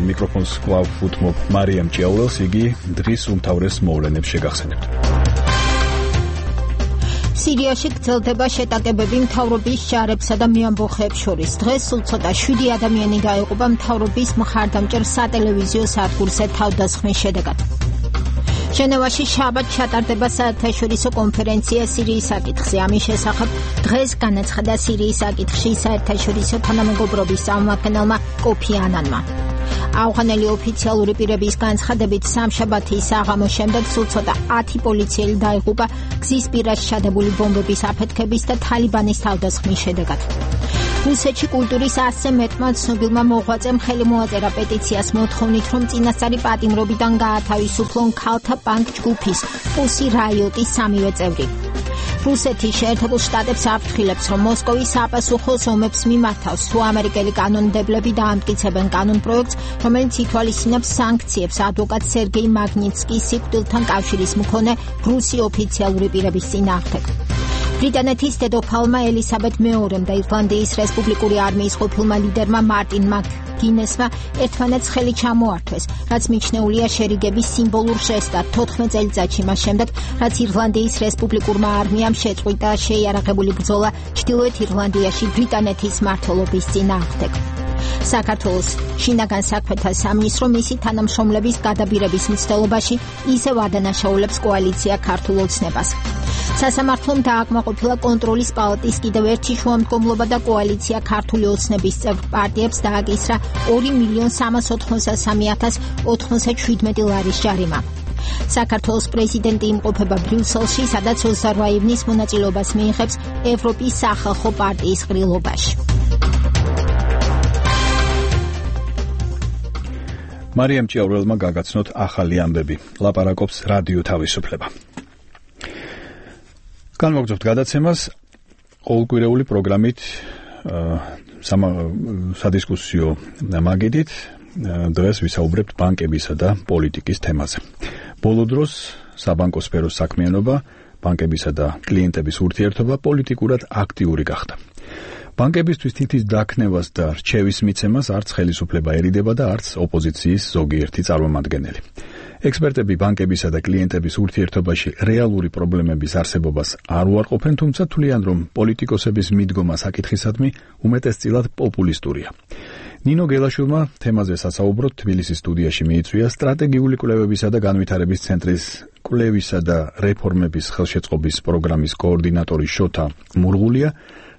მიკროფონს კვლავ უთმობ მარიამ ჭიაურელს, იგი დღის უმთავრეს მოვლენებს შეგახსენებთ. სირიაში გრძელდება შეტაკებები მთავრობის ჯარებსა და მეამბოხეებს შორის. დღეს სულ ცოტა შვიდი ადამიანი გაიყובה მთავრობის მხარდამჭერ სატელევიზიო სადგურზე თავდასხმის შედეგად. ჟენევაში შაბათ ჩატარდება საერთაშორისო კონფერენცია სირიის საკითხზე. ამის შესახებ დღეს განაცხადა სირიის საკითხში საერთაშორისო თანამეგობრობის წარმომადგენელმა კოფი ანანმა. ავღანელი ოფიციალური პირების განცხადებით სამშაბათის საღამოს შემდეგ სულ ცოტა ათი პოლიციელი დაიღუპა გზის პირას ჩადებული ბომბების აფეთქების და თალიბანის თავდასხმის შედეგად. რუსეთში კულტურის ასზე მეტმა ცნობილმა მოღვაწემ ხელი მოაწერა პეტიციას მოთხოვნით, რომ წინასწარი პატიმრობიდან გაათავისუფლონ ქალთა პანკ ჯგუფის პუსი რაიოტის სამივე წევრი. რუსეთის შეერთებულ შტატებს აფრთხილებს, რომ მოსკოვის საპასუხოს ომებს მიმართავს, თუ ამერიკელი კანონმდებლები დაამტკიცებენ კანონპროექტს, რომელიც ითვალისწინებს სანქციებს ადვოკატ სერგეი მაგნიცკის სიკვდილთან კავშირის მქონე რუსი ოფიციალური პირების წინააღმდეგ. ბრიტანეთის დედოფალმა ელისაბედ მეორემ და ირლანდიის რესპუბლიკური არმიის ყოფილმა ლიდერმა მარტინ მაკგინესმა ერთმანეთს ხელი ჩამოართვეს, რაც მიჩნეულია შერიგების სიმბოლურ ჟესტად თოთხმეტ წელიწადში მას შემდეგ, რაც ირლანდიის რესპუბლიკურმა არმიამ შეწყვიტა შეიარაღებული ბრძოლა ჩრდილოეთ ირლანდიაში ბრიტანეთის მმართველობის წინააღმდეგ. საქართველოს შინაგან საქმეთა სამინისტრო მისი თანამშრომლების გადაბირების მცდელობაში ისევ ადანაშაულებს კოალიცია ქართულ ოცნებას. სასამართლომ დააკმაყოფილა კონტროლის პალატის კიდევ ერთი შუამდგომლობა და კოალიცია ქართული ოცნების წევრ პარტიებს დააკისრა ორი მილიონი სამას ოთხმოცდასამი ათას ოთხმოცდაშვიდმეტი ლარის ჯარიმა. საქართველოს პრეზიდენტი იმყოფება ბრიუსელში, სადაც ოცდაორი ივნის მონაწილეობას მიიღებს ევროპის სახალხო პარტიის ყრილობაში. მარიამ ჭიაურელმა გაგაცნოთ ახალი ამბები. ლაპარაკობს რადიო თავისუფლება. განვაგრძობთ გადაცემას ყოველკვირეული პროგრამით სადისკუსიო მაგიდით. დღეს ვისაუბრებთ ბანკებისა და პოლიტიკის თემაზე. ბოლო დროს საბანკო სფეროს საქმიანობა, ბანკებისა და კლიენტების ურთიერთობა პოლიტიკურად აქტიური გახდა. ბანკებისთვის თითის დაქნევას და რჩევის მიცემას არც ხელისუფლება ერიდება და არც ოპოზიციის ზოგიერთი წარმომადგენელი. ექსპერტები ბანკებისა და კლიენტების ურთიერთობაში რეალური პრობლემების არსებობას არ უარყოფენ, თუმცა თვლიან, რომ პოლიტიკოსების მიდგომა საკითხისადმი უმეტესწილად პოპულისტურია. ნინო გელაშვილმა თემაზე სასაუბროდ თბილისის სტუდიაში მიიწვია სტრატეგიული კვლევებისა და განვითარების ცენტრის კვლევისა და რეფორმების ხელშეწყობის პროგრამის კოორდინატორი შოთა მურღულია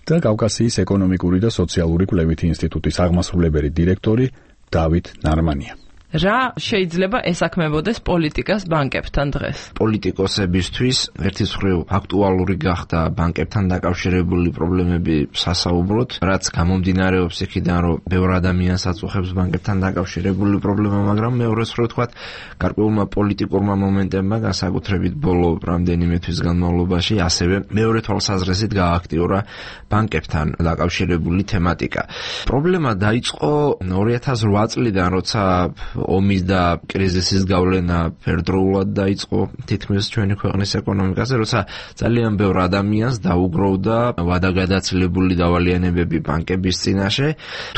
და კავკასიის ეკონომიკური და სოციალური კვლევითი ინსტიტუტის აღმასრულებელი დირექტორი დავით ნარმანია. რა შეიძლება ესაქმებოდეს პოლიტიკას ბანკებთან დღეს? პოლიტიკოსებისთვის ერთის მხრივ აქტუალური გახდა ბანკებთან დაკავშირებული პრობლემები სასაუბროთ, რაც გამომდინარეობს იქიდან, რომ ბევრ ადამიანს აწუხებს ბანკებთან დაკავშირებული პრობლემა, მაგრამ მეორე მხრივ თქვათ, გარკვეულმა პოლიტიკურმა მომენტებმა, განსაკუთრებით ბოლო რამდენიმე თვის განმავლობაში, ასევე მეორე თვალსაზრისით გააქტიურა ბანკებთან დაკავშირებული თემატიკა. პრობლემა დაიწყო ორი ათას რვა წლიდან, როცა ომის და კრიზისის გავლენა ფერდროულად დაიწყო თითქმის ჩვენი ქვეყნის ეკონომიკაზე, როცა ძალიან ბევრ ადამიანს დაუგროვდა ვადაგადაცილებული დავალიანებები ბანკების წინაშე,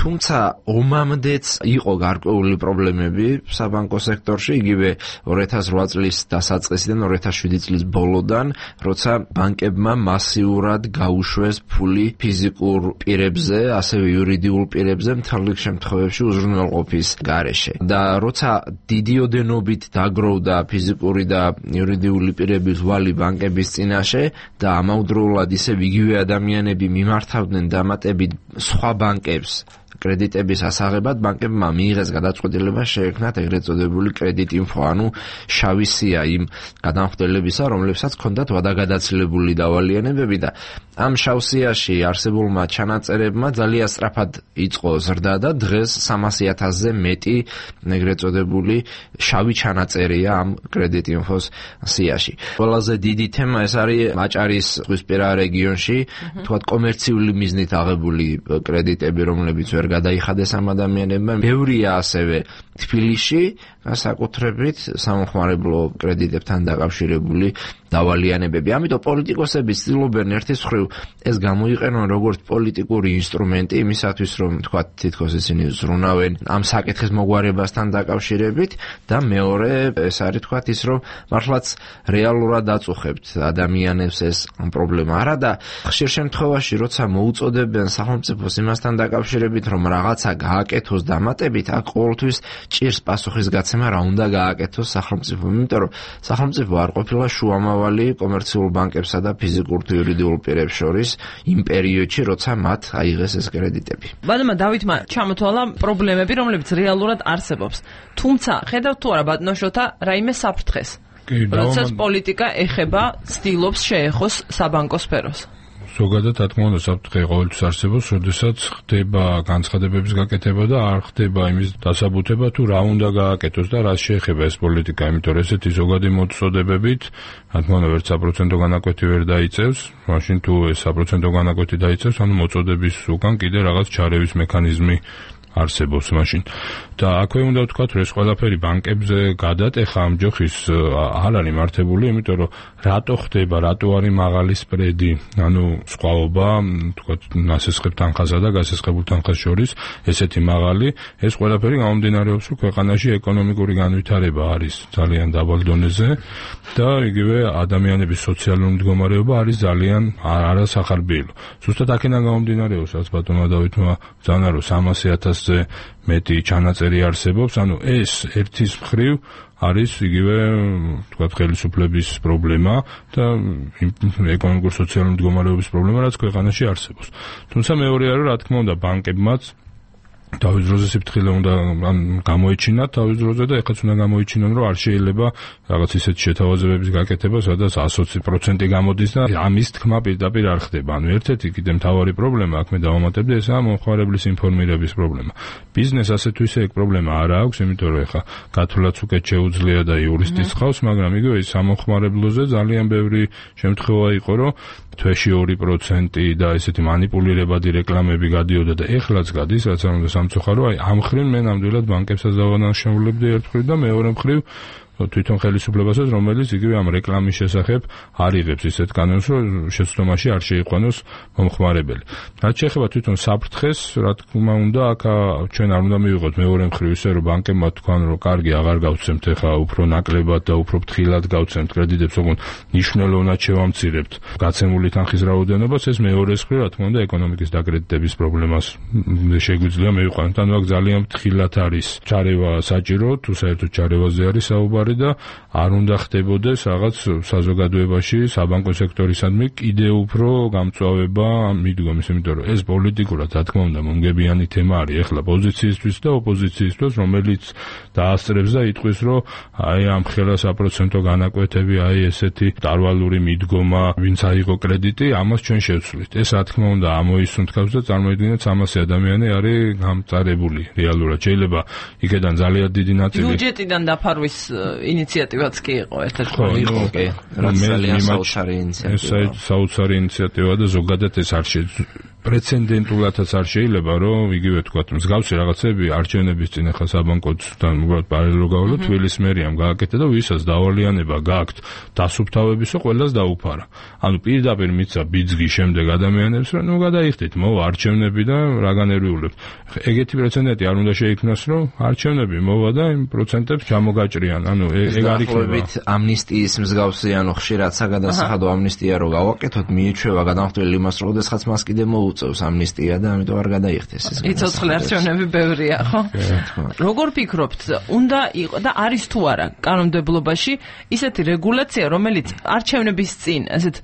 თუმცა ომამდეც იყო გარკვეული პრობლემები საბანკო სექტორში, იგივე ორი ათას რვა წლის დასაწყისიდან ორი ათას შვიდი წლის ბოლოდან, როცა ბანკებმა მასიურად გაუშვეს ფული ფიზიკურ პირებზე, ასევე იურიდიულ პირებზე მთელ რიგ შემთხვევებში უზრუნველყოფის გარეშე. და როცა დიდი ოდენობით დაგროვდა ფიზიკური და იურიდიული პირების ვალი ბანკების წინაშე და ამავდროულად ისევ იგივე ადამიანები მიმართავდნენ დამატებით სხვა ბანკებს კრედიტების ასაღებად, ბანკებმა მიიღეს გადაწყვეტილება შეექმნათ ეგრეთ წოდებული კრედიტინფო, ანუ შავი სია იმ გადამხდელებისა, რომლებსაც ჰქონდათ ვადაგადაცილებული დავალიანებები და ამ შავ სიაში არსებულმა ჩანაწერებმა ძალიან სწრაფად იწყო ზრდა და დღეს სამასი ათასზე მეტი ეგრეთ წოდებული შავი ჩანაწერია ამ კრედიტინფოს სიაში. ყველაზე დიდი თემა ეს არის მაჭარის ზღვისპირა რეგიონში, თქვათ კომერციული მიზნით აღებული კრედიტები, რომლებიც ვერ ვერ გადაიხადეს ამ ადამიანებმა. ბევრია ასევე თბილისში განსაკუთრებით სამხმარებლო კრედიტებთან დაკავშირებული დავალიანებები. ამიტომ პოლიტიკოსები ცდილობენ ერთის მხრივ ეს გამოიყენონ როგორც პოლიტიკური ინსტრუმენტი იმისათვის, რომ თქვა თითქოს ისინი ზრუნავენ ამ საკითხის მოგვარებასთან დაკავშირებით და მეორე ეს არის თქვა ის, რომ მართლაც რეალურად აწუხებთ ადამიანებს ეს პრობლემა. არა და ხშირ შემთხვევაში როცა მოუწოდებენ სახელმწიფოს იმასთან დაკავშირებით, რომ რაღაცა გააკეთოს დამატებით, აქ ყოველთვის ჭირს პასუხის გაცემა, რა უნდა გააკეთოს სახელმწიფომ, იმიტომ რომ სახელმწიფო არ ყოფილა შუამავალი კომერციულ ბანკებსა და ფიზიკურ თუ იურიდიულ პირებს შორის იმ პერიოდში, როცა მათ აიღეს ეს კრედიტები. ბატონმა დავითმა ჩამოთვალა პრობლემები, რომლებიც რეალურად არსებობს. თუმცა ხედავთ თუ არა ბატონო შოთა რაიმე საფრთხეს? როდესაც პოლიტიკა ეხება, ცდილობს შეეხოს საბანკო სფეროს. ზოგადად რა თქმა უნდა საფრთხე ყოველთვის არსებობს, როდესაც ხდება განცხადებების გაკეთება და არ ხდება იმის დასაბუთება თუ რა უნდა გააკეთოს და რა შეეხება ეს პოლიტიკა, იმიტომ რომ ესეთი ზოგადი მოწოდებებით რა თქმა უნდა ვერც საპროცენტო განაკვეთი ვერ დაიწევს, მაშინ თუ ეს საპროცენტო განაკვეთი დაიწევს, ანუ მოწოდების უკან კიდე რაღაც ჩარევის მექანიზმი არსებობს მაშინ. და აქვე უნდა ვთქვათ, რომ ეს ყველაფერი ბანკებზე გადატეხა ამ ჯოხის არ არის მართებული, იმიტომ რომ რატო ხდება, რატო არის მაღალი სპრედი, ანუ სხვაობა, ვთქვათ, ნასესხებ თანხასა და გასესხებულ თანხას შორის ესეთი მაღალი, ეს ყველაფერი გამომდინარეობს, რომ ქვეყანაში ეკონომიკური განვითარება არის ძალიან დაბალ დონეზე და იგივე ადამიანების სოციალური მდგომარეობა არის ძალიან არასახარბიელო. ზუსტად აქედან გამომდინარეობს, რაც ბატონმა დავითმა ბრძანა, რომ სამასი ათასზე მეტი ჩანაწერი არსებობს, ანუ ეს ერთის მხრივ არის იგივე თქვათ ხელისუფლების პრობლემა და ეკონომიკური სოციალური მდგომარეობის პრობლემა, რაც ქვეყანაში არსებობს. თუმცა მეორე არის, რა თქმა უნდა, ბანკებმაც თავის დროზე სიფრთხილე უნდა გამოეჩინათ თავის დროზე და ეხაც უნდა გამოეჩინონ, რომ არ შეიძლება რაღაც ისეთი შეთავაზებების გაკეთება, სადაც ას ოცი პროცენტი გამოდის და ამის თქმა პირდაპირ არ ხდება. ანუ ერთ-ერთი კიდე მთავარი პრობლემა, აქ მე დავამატებდი, ესაა მომხმარებლის ინფორმირების პრობლემა. ბიზნეს ასე თუ ისე ეგ პრობლემა არ აქვს, იმიტომ რომ ეხა გათვლაც უკეთ შეუძლია და იურისტიც ხავს, მაგრამ იგივე სამომხმარებლოზე ძალიან ბევრი შემთხვევა იყო, რომ თვეში ორი პროცენტი და ესეთი მანიპულირებადი რეკლამები გადიოდა და ეხლაც გადის, რაც არ უნდა სამწუხარო, აი ამ მხრივ მე ნამდვილად ბანკებსაც დავანაშაულებდი ერთ მხრივ და მეორე მხრივ თვითონ ხელისუფლებასაც, რომელიც იგივე ამ რეკლამის შესახებ არ იღებს ისეთ კანონს, რომ შეცდომაში არ შეიყვანოს მომხმარებელი. რაც შეეხება თვითონ საფრთხეს, რა თქმა უნდა, აქ ჩვენ არ უნდა მივიღოთ მეორე მხრივ ისე, რომ ბანკებმა თქვან, რომ კარგი აღარ გავცემთ ახლა უფრო ნაკლებად და უფრო ფრთხილად გავცემთ კრედიტებს, ოღონდ მნიშვნელოვნად შევამცირებთ გაცემული თანხის რაოდენობას, ეს მეორე მხრივ, რა თქმა უნდა, ეკონომიკის დაკრედიტების პრობლემას შეგვიძლია მივიყვანოთ. ანუ აქ ძალიან ფრთხილად არის ჩარევა საჭირო, თუ საერთოდ ჩარევაზე არის საუბარი და არ უნდა ხდებოდეს რაღაც საზოგადოებაში საბანკო სექტორისადმი კიდე უფრო გამწვავება მიდგომის, იმიტომ რომ ეს პოლიტიკურად რა თქმა უნდა მომგებიანი თემა არის ეხლა პოზიციისთვის და ოპოზიციისთვის, რომელიც დაასწრებს და იტყვის, რომ აი ამ ხელა საპროცენტო განაკვეთები, აი ესეთი დარვალური მიდგომა, ვინც აიღო კრედიტი, ამას ჩვენ შევცვლით. ეს რა თქმა უნდა ამოისუნთქავს და წარმოიდგინეთ სამასი ადამიანი არის გამწარებული რეალურად. შეიძლება იქედან ძალიან დიდი ნაწილი ბიუჯეტიდან დაფარვის ინიციატივაც კი იყო ერთ-ერთი იყო კი რაც ძალიან საოცარი ინიციატივა. ეს საოცარი ინიციატივა და ზოგადად ეს არ პრეცედენტულადაც არ შეიძლება, რომ იგივე თქვათ, მსგავსი რაღაცები არჩევნების წინ ახლა საბანკოდან უბრალოდ პარალელურად გავავლოთ, თბილისის მერიამ გააკეთა და ვისაც დავალიანება გააქვთ დასუფთავებისო, ყველას დაუფარა. ანუ პირდაპირ მიცა ბიძგი შემდეგ ადამიანებს, რომ ნუ გადაიხდით, მოვა არჩევნები და რა განერვიულებთ. ეგეთი პრეცედენტი არ უნდა შეიქმნას, რომ არჩევნები მოვა და იმ პროცენტებს ჩამოგაჭრიან. ანუ ეგ არ იქნება. ამნისტიის მსგავსი, ანუ ხშირად საგადასახადო ამნისტია რო გავაკეთოთ, მიეჩვევა გადამხდელი იმას, რომ ოდესღაც მას კიდე მოუ წევს ამნისტია და ამიტომ არ გადაიხდეს ეს. იცოცხლე არჩევნები ბევრია, ხო? როგორ ფიქრობთ, უნდა იყო და არის თუ არა კანონმდებლობაში ისეთი რეგულაცია, რომელიც არჩევნების წინ ასეთ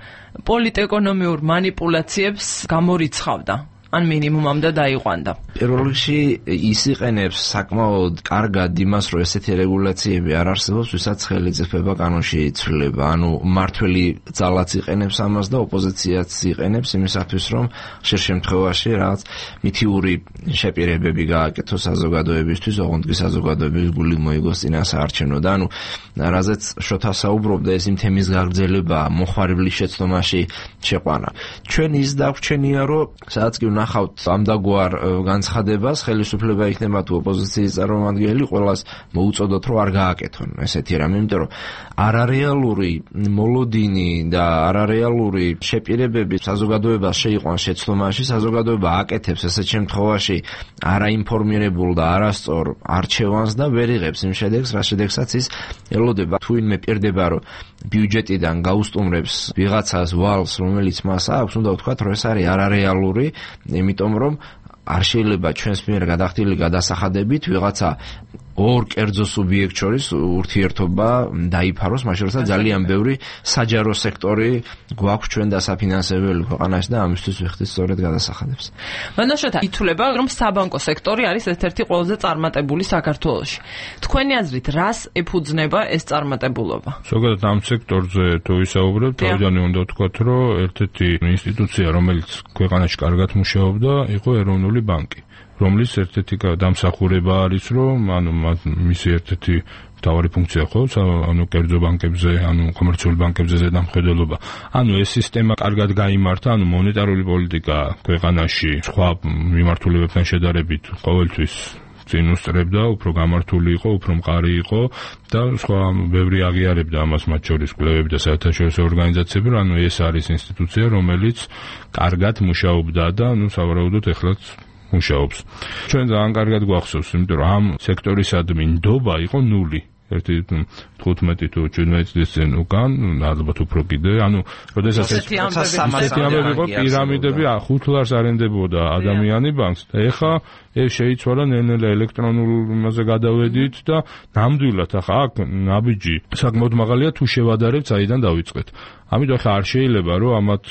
პოლიტეკონომიურ манипуляციებს გამორიცხავდა? ან მინიმუმამდე დაიყვანდა. პირველ რიგში ის იყენებს საკმაოდ კარგად იმას, რომ ესეთი რეგულაციები არ არსებობს, ვისაც ხელისუფლება კანონში იცვლება. ანუ მართველი ძალაც იყენებს ამას და ოპოზიციაც იყენებს იმისათვის, რომ ხშირ შემთხვევაში რაღაც მითიური შეპირებები გააკეთოს საზოგადოებისთვის, ოღონდ კი საზოგადოების გული მოიგოს წინა საარჩევნო და ანუ რაზეც შოთა საუბრობდა, ეს იმ თემის გაგრძელება, მოხმარებლის შეცდომაში შეყვანა. ჩვენ ის დაგვრჩენია, რომ სადაც კი ვნახავთ ამდაგვარ განცხადებას, ხელისუფლება იქნება თუ ოპოზიციის წარმომადგენელი, ყველას მოუწოდოთ რომ არ გააკეთონ ესეთი რამე, იმიტომ რომ არარეალური მოლოდინი და არარეალური შეპირებები საზოგადოებას შეიყვანს შეცდომაში, საზოგადოება აკეთებს ესეთ შემთხვევაში არაინფორმირებულ და არასწორ არჩევანს და ვერ იღებს იმ შედეგს, რა შედეგსაც ის ელოდება. თუ ვინმე პირდება რომ ბიუჯეტიდან გაუსტუმრებს ვიღაცას ვალს, რომელიც მას აქვს, უნდა ვთქვათ, რომ ეს არის არარეალური, იმიტომ რომ არ შეიძლება ჩვენს მიერ გადახდილი გადასახადებით ვიღაცა ორ კერძო სუბიექტ შორის ურთიერთობა დაიფაროს, მაშინ როცა ძალიან ბევრი საჯარო სექტორი გვაქვს ჩვენ დასაფინანსებელი ქვეყანაში და ამისთვის ვიხდით სწორედ გადასახადებს. მანაშოთა ითვლება, რომ საბანკო სექტორი არის ერთ-ერთი ყველაზე წარმატებული საქართველოში. თქვენი აზრით, რას ეფუძნება ეს წარმატებულობა? ზოგადად ამ სექტორზე თუ ვისაუბრებთ, თავიდანვე უნდა ვთქვათ, რომ ერთ-ერთი ინსტიტუცია, რომელიც ქვეყანაში კარგად მუშაობდა, იყო ეროვნული ბანკი, რომლის ერთ-ერთი დამსახურება არის, რომ ანუ მისი ერთ-ერთი მთავარი ფუნქცია ხო, ანუ კერძო ბანკებზე, ანუ კომერციული ბანკებზე ზედამხედველობა. ანუ ეს სისტემა კარგად გაიმართა, ანუ მონეტარული პოლიტიკა ქვეყანაში სხვა მიმართულებებთან შედარებით ყოველთვის წინ უსწრებდა, უფრო გამართული იყო, უფრო მყარი იყო და სხვა ბევრი აღიარებდა ამას, მათ შორის კვლევები და საერთაშორისო ორგანიზაციები, ანუ ეს არის ინსტიტუცია, რომელიც კარგად მუშაობდა და ანუ სავარაუდოდ ეხლაც მუშაობს. ჩვენ ძალიან კარგად გვახსოვს, იმიტომ რომ ამ სექტორისადმი ნდობა იყო ნული. ერთი თხუთმეტი თუ შვიდმეტი წლის წინ უკან, ალბათ უფრო კიდე, ანუ როდესაც ესეთი ამბები იყო, პირამიდები ხუთ ლარს არენდებოდა ადამიანი ბანკს და ეხა ეს შეიცვალა ნელ-ნელა ელექტრონულ იმაზე გადავედით და ნამდვილად ახლა აქ ნაბიჯი საკმაოდ მაღალია, თუ შევადარებთ საიდან დავიწყეთ. ამიტომ ახლა არ შეიძლება რომ ამათ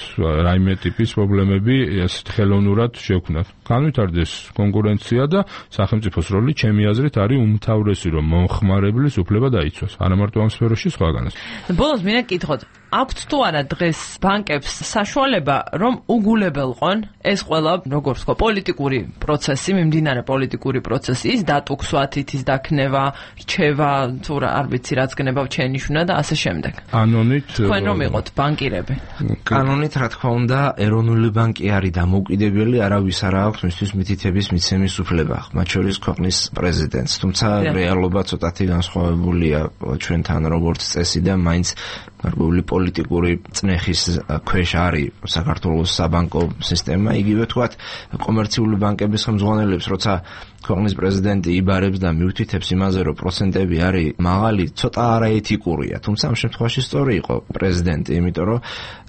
რაიმე ტიპის პრობლემები ესეთ ხელოვნურად შევქმნათ. განვითარდეს კონკურენცია და სახელმწიფოს როლი ჩემი აზრით არის უმთავრესი, რომ მომხმარებლის უფლება დაიცვას. არა მარტო ამ სფეროში, სხვაგანაც. ბოლოს მინდა გკითხოთ, აქვთ თუ არა დღეს ბანკებს საშუალება, რომ უგულებელყონ ეს ყველა, როგორც თქვა, პოლიტიკური პროცესი, მიმდინარე პოლიტიკური პროცესი, ის დატუქსვათ, ის დაქნება, რჩევა, თუ რა არ ვიცი რაც გნება ჩენიშუნა და ასე შემდეგ. კანონით თქვენ რომ იყოთ ბანკირები. კანონით რა თქმა უნდა, ეროვნული ბანკი არის დამოუკიდებელი, არავის არ აქვს მისთვის მითითების მიცემის უფლება, მათ შორის ქვეყნის პრეზიდენტს. თუმცა რეალობა ცოტათი განსხვავებულია ჩვენთან როგორც წესი და მაინც გარკვეული პოლიტიკური წნეხის ქვეშ არის საქართველოს საბანკო სისტემა, იგივე თქვათ კომერციული ბანკების ხელმძღვანელებს, როცა ქვეყნის პრეზიდენტი იბარებს და მიუთითებს იმაზე, რომ პროცენტები არის მაღალი, ცოტა არაეთიკურია. თუმცა ამ შემთხვევაში სწორი იყო პრეზიდენტი, იმიტომ რომ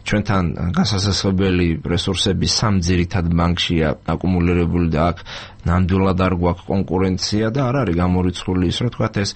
ჩვენთან გასასწრებელი რესურსები სამ ძირითად ბანკშია აკუმულირებული და აქ ნამდვილად არ გვაქვს კონკურენცია და არ არის გამორიცხული ის, რომ თქვათ ეს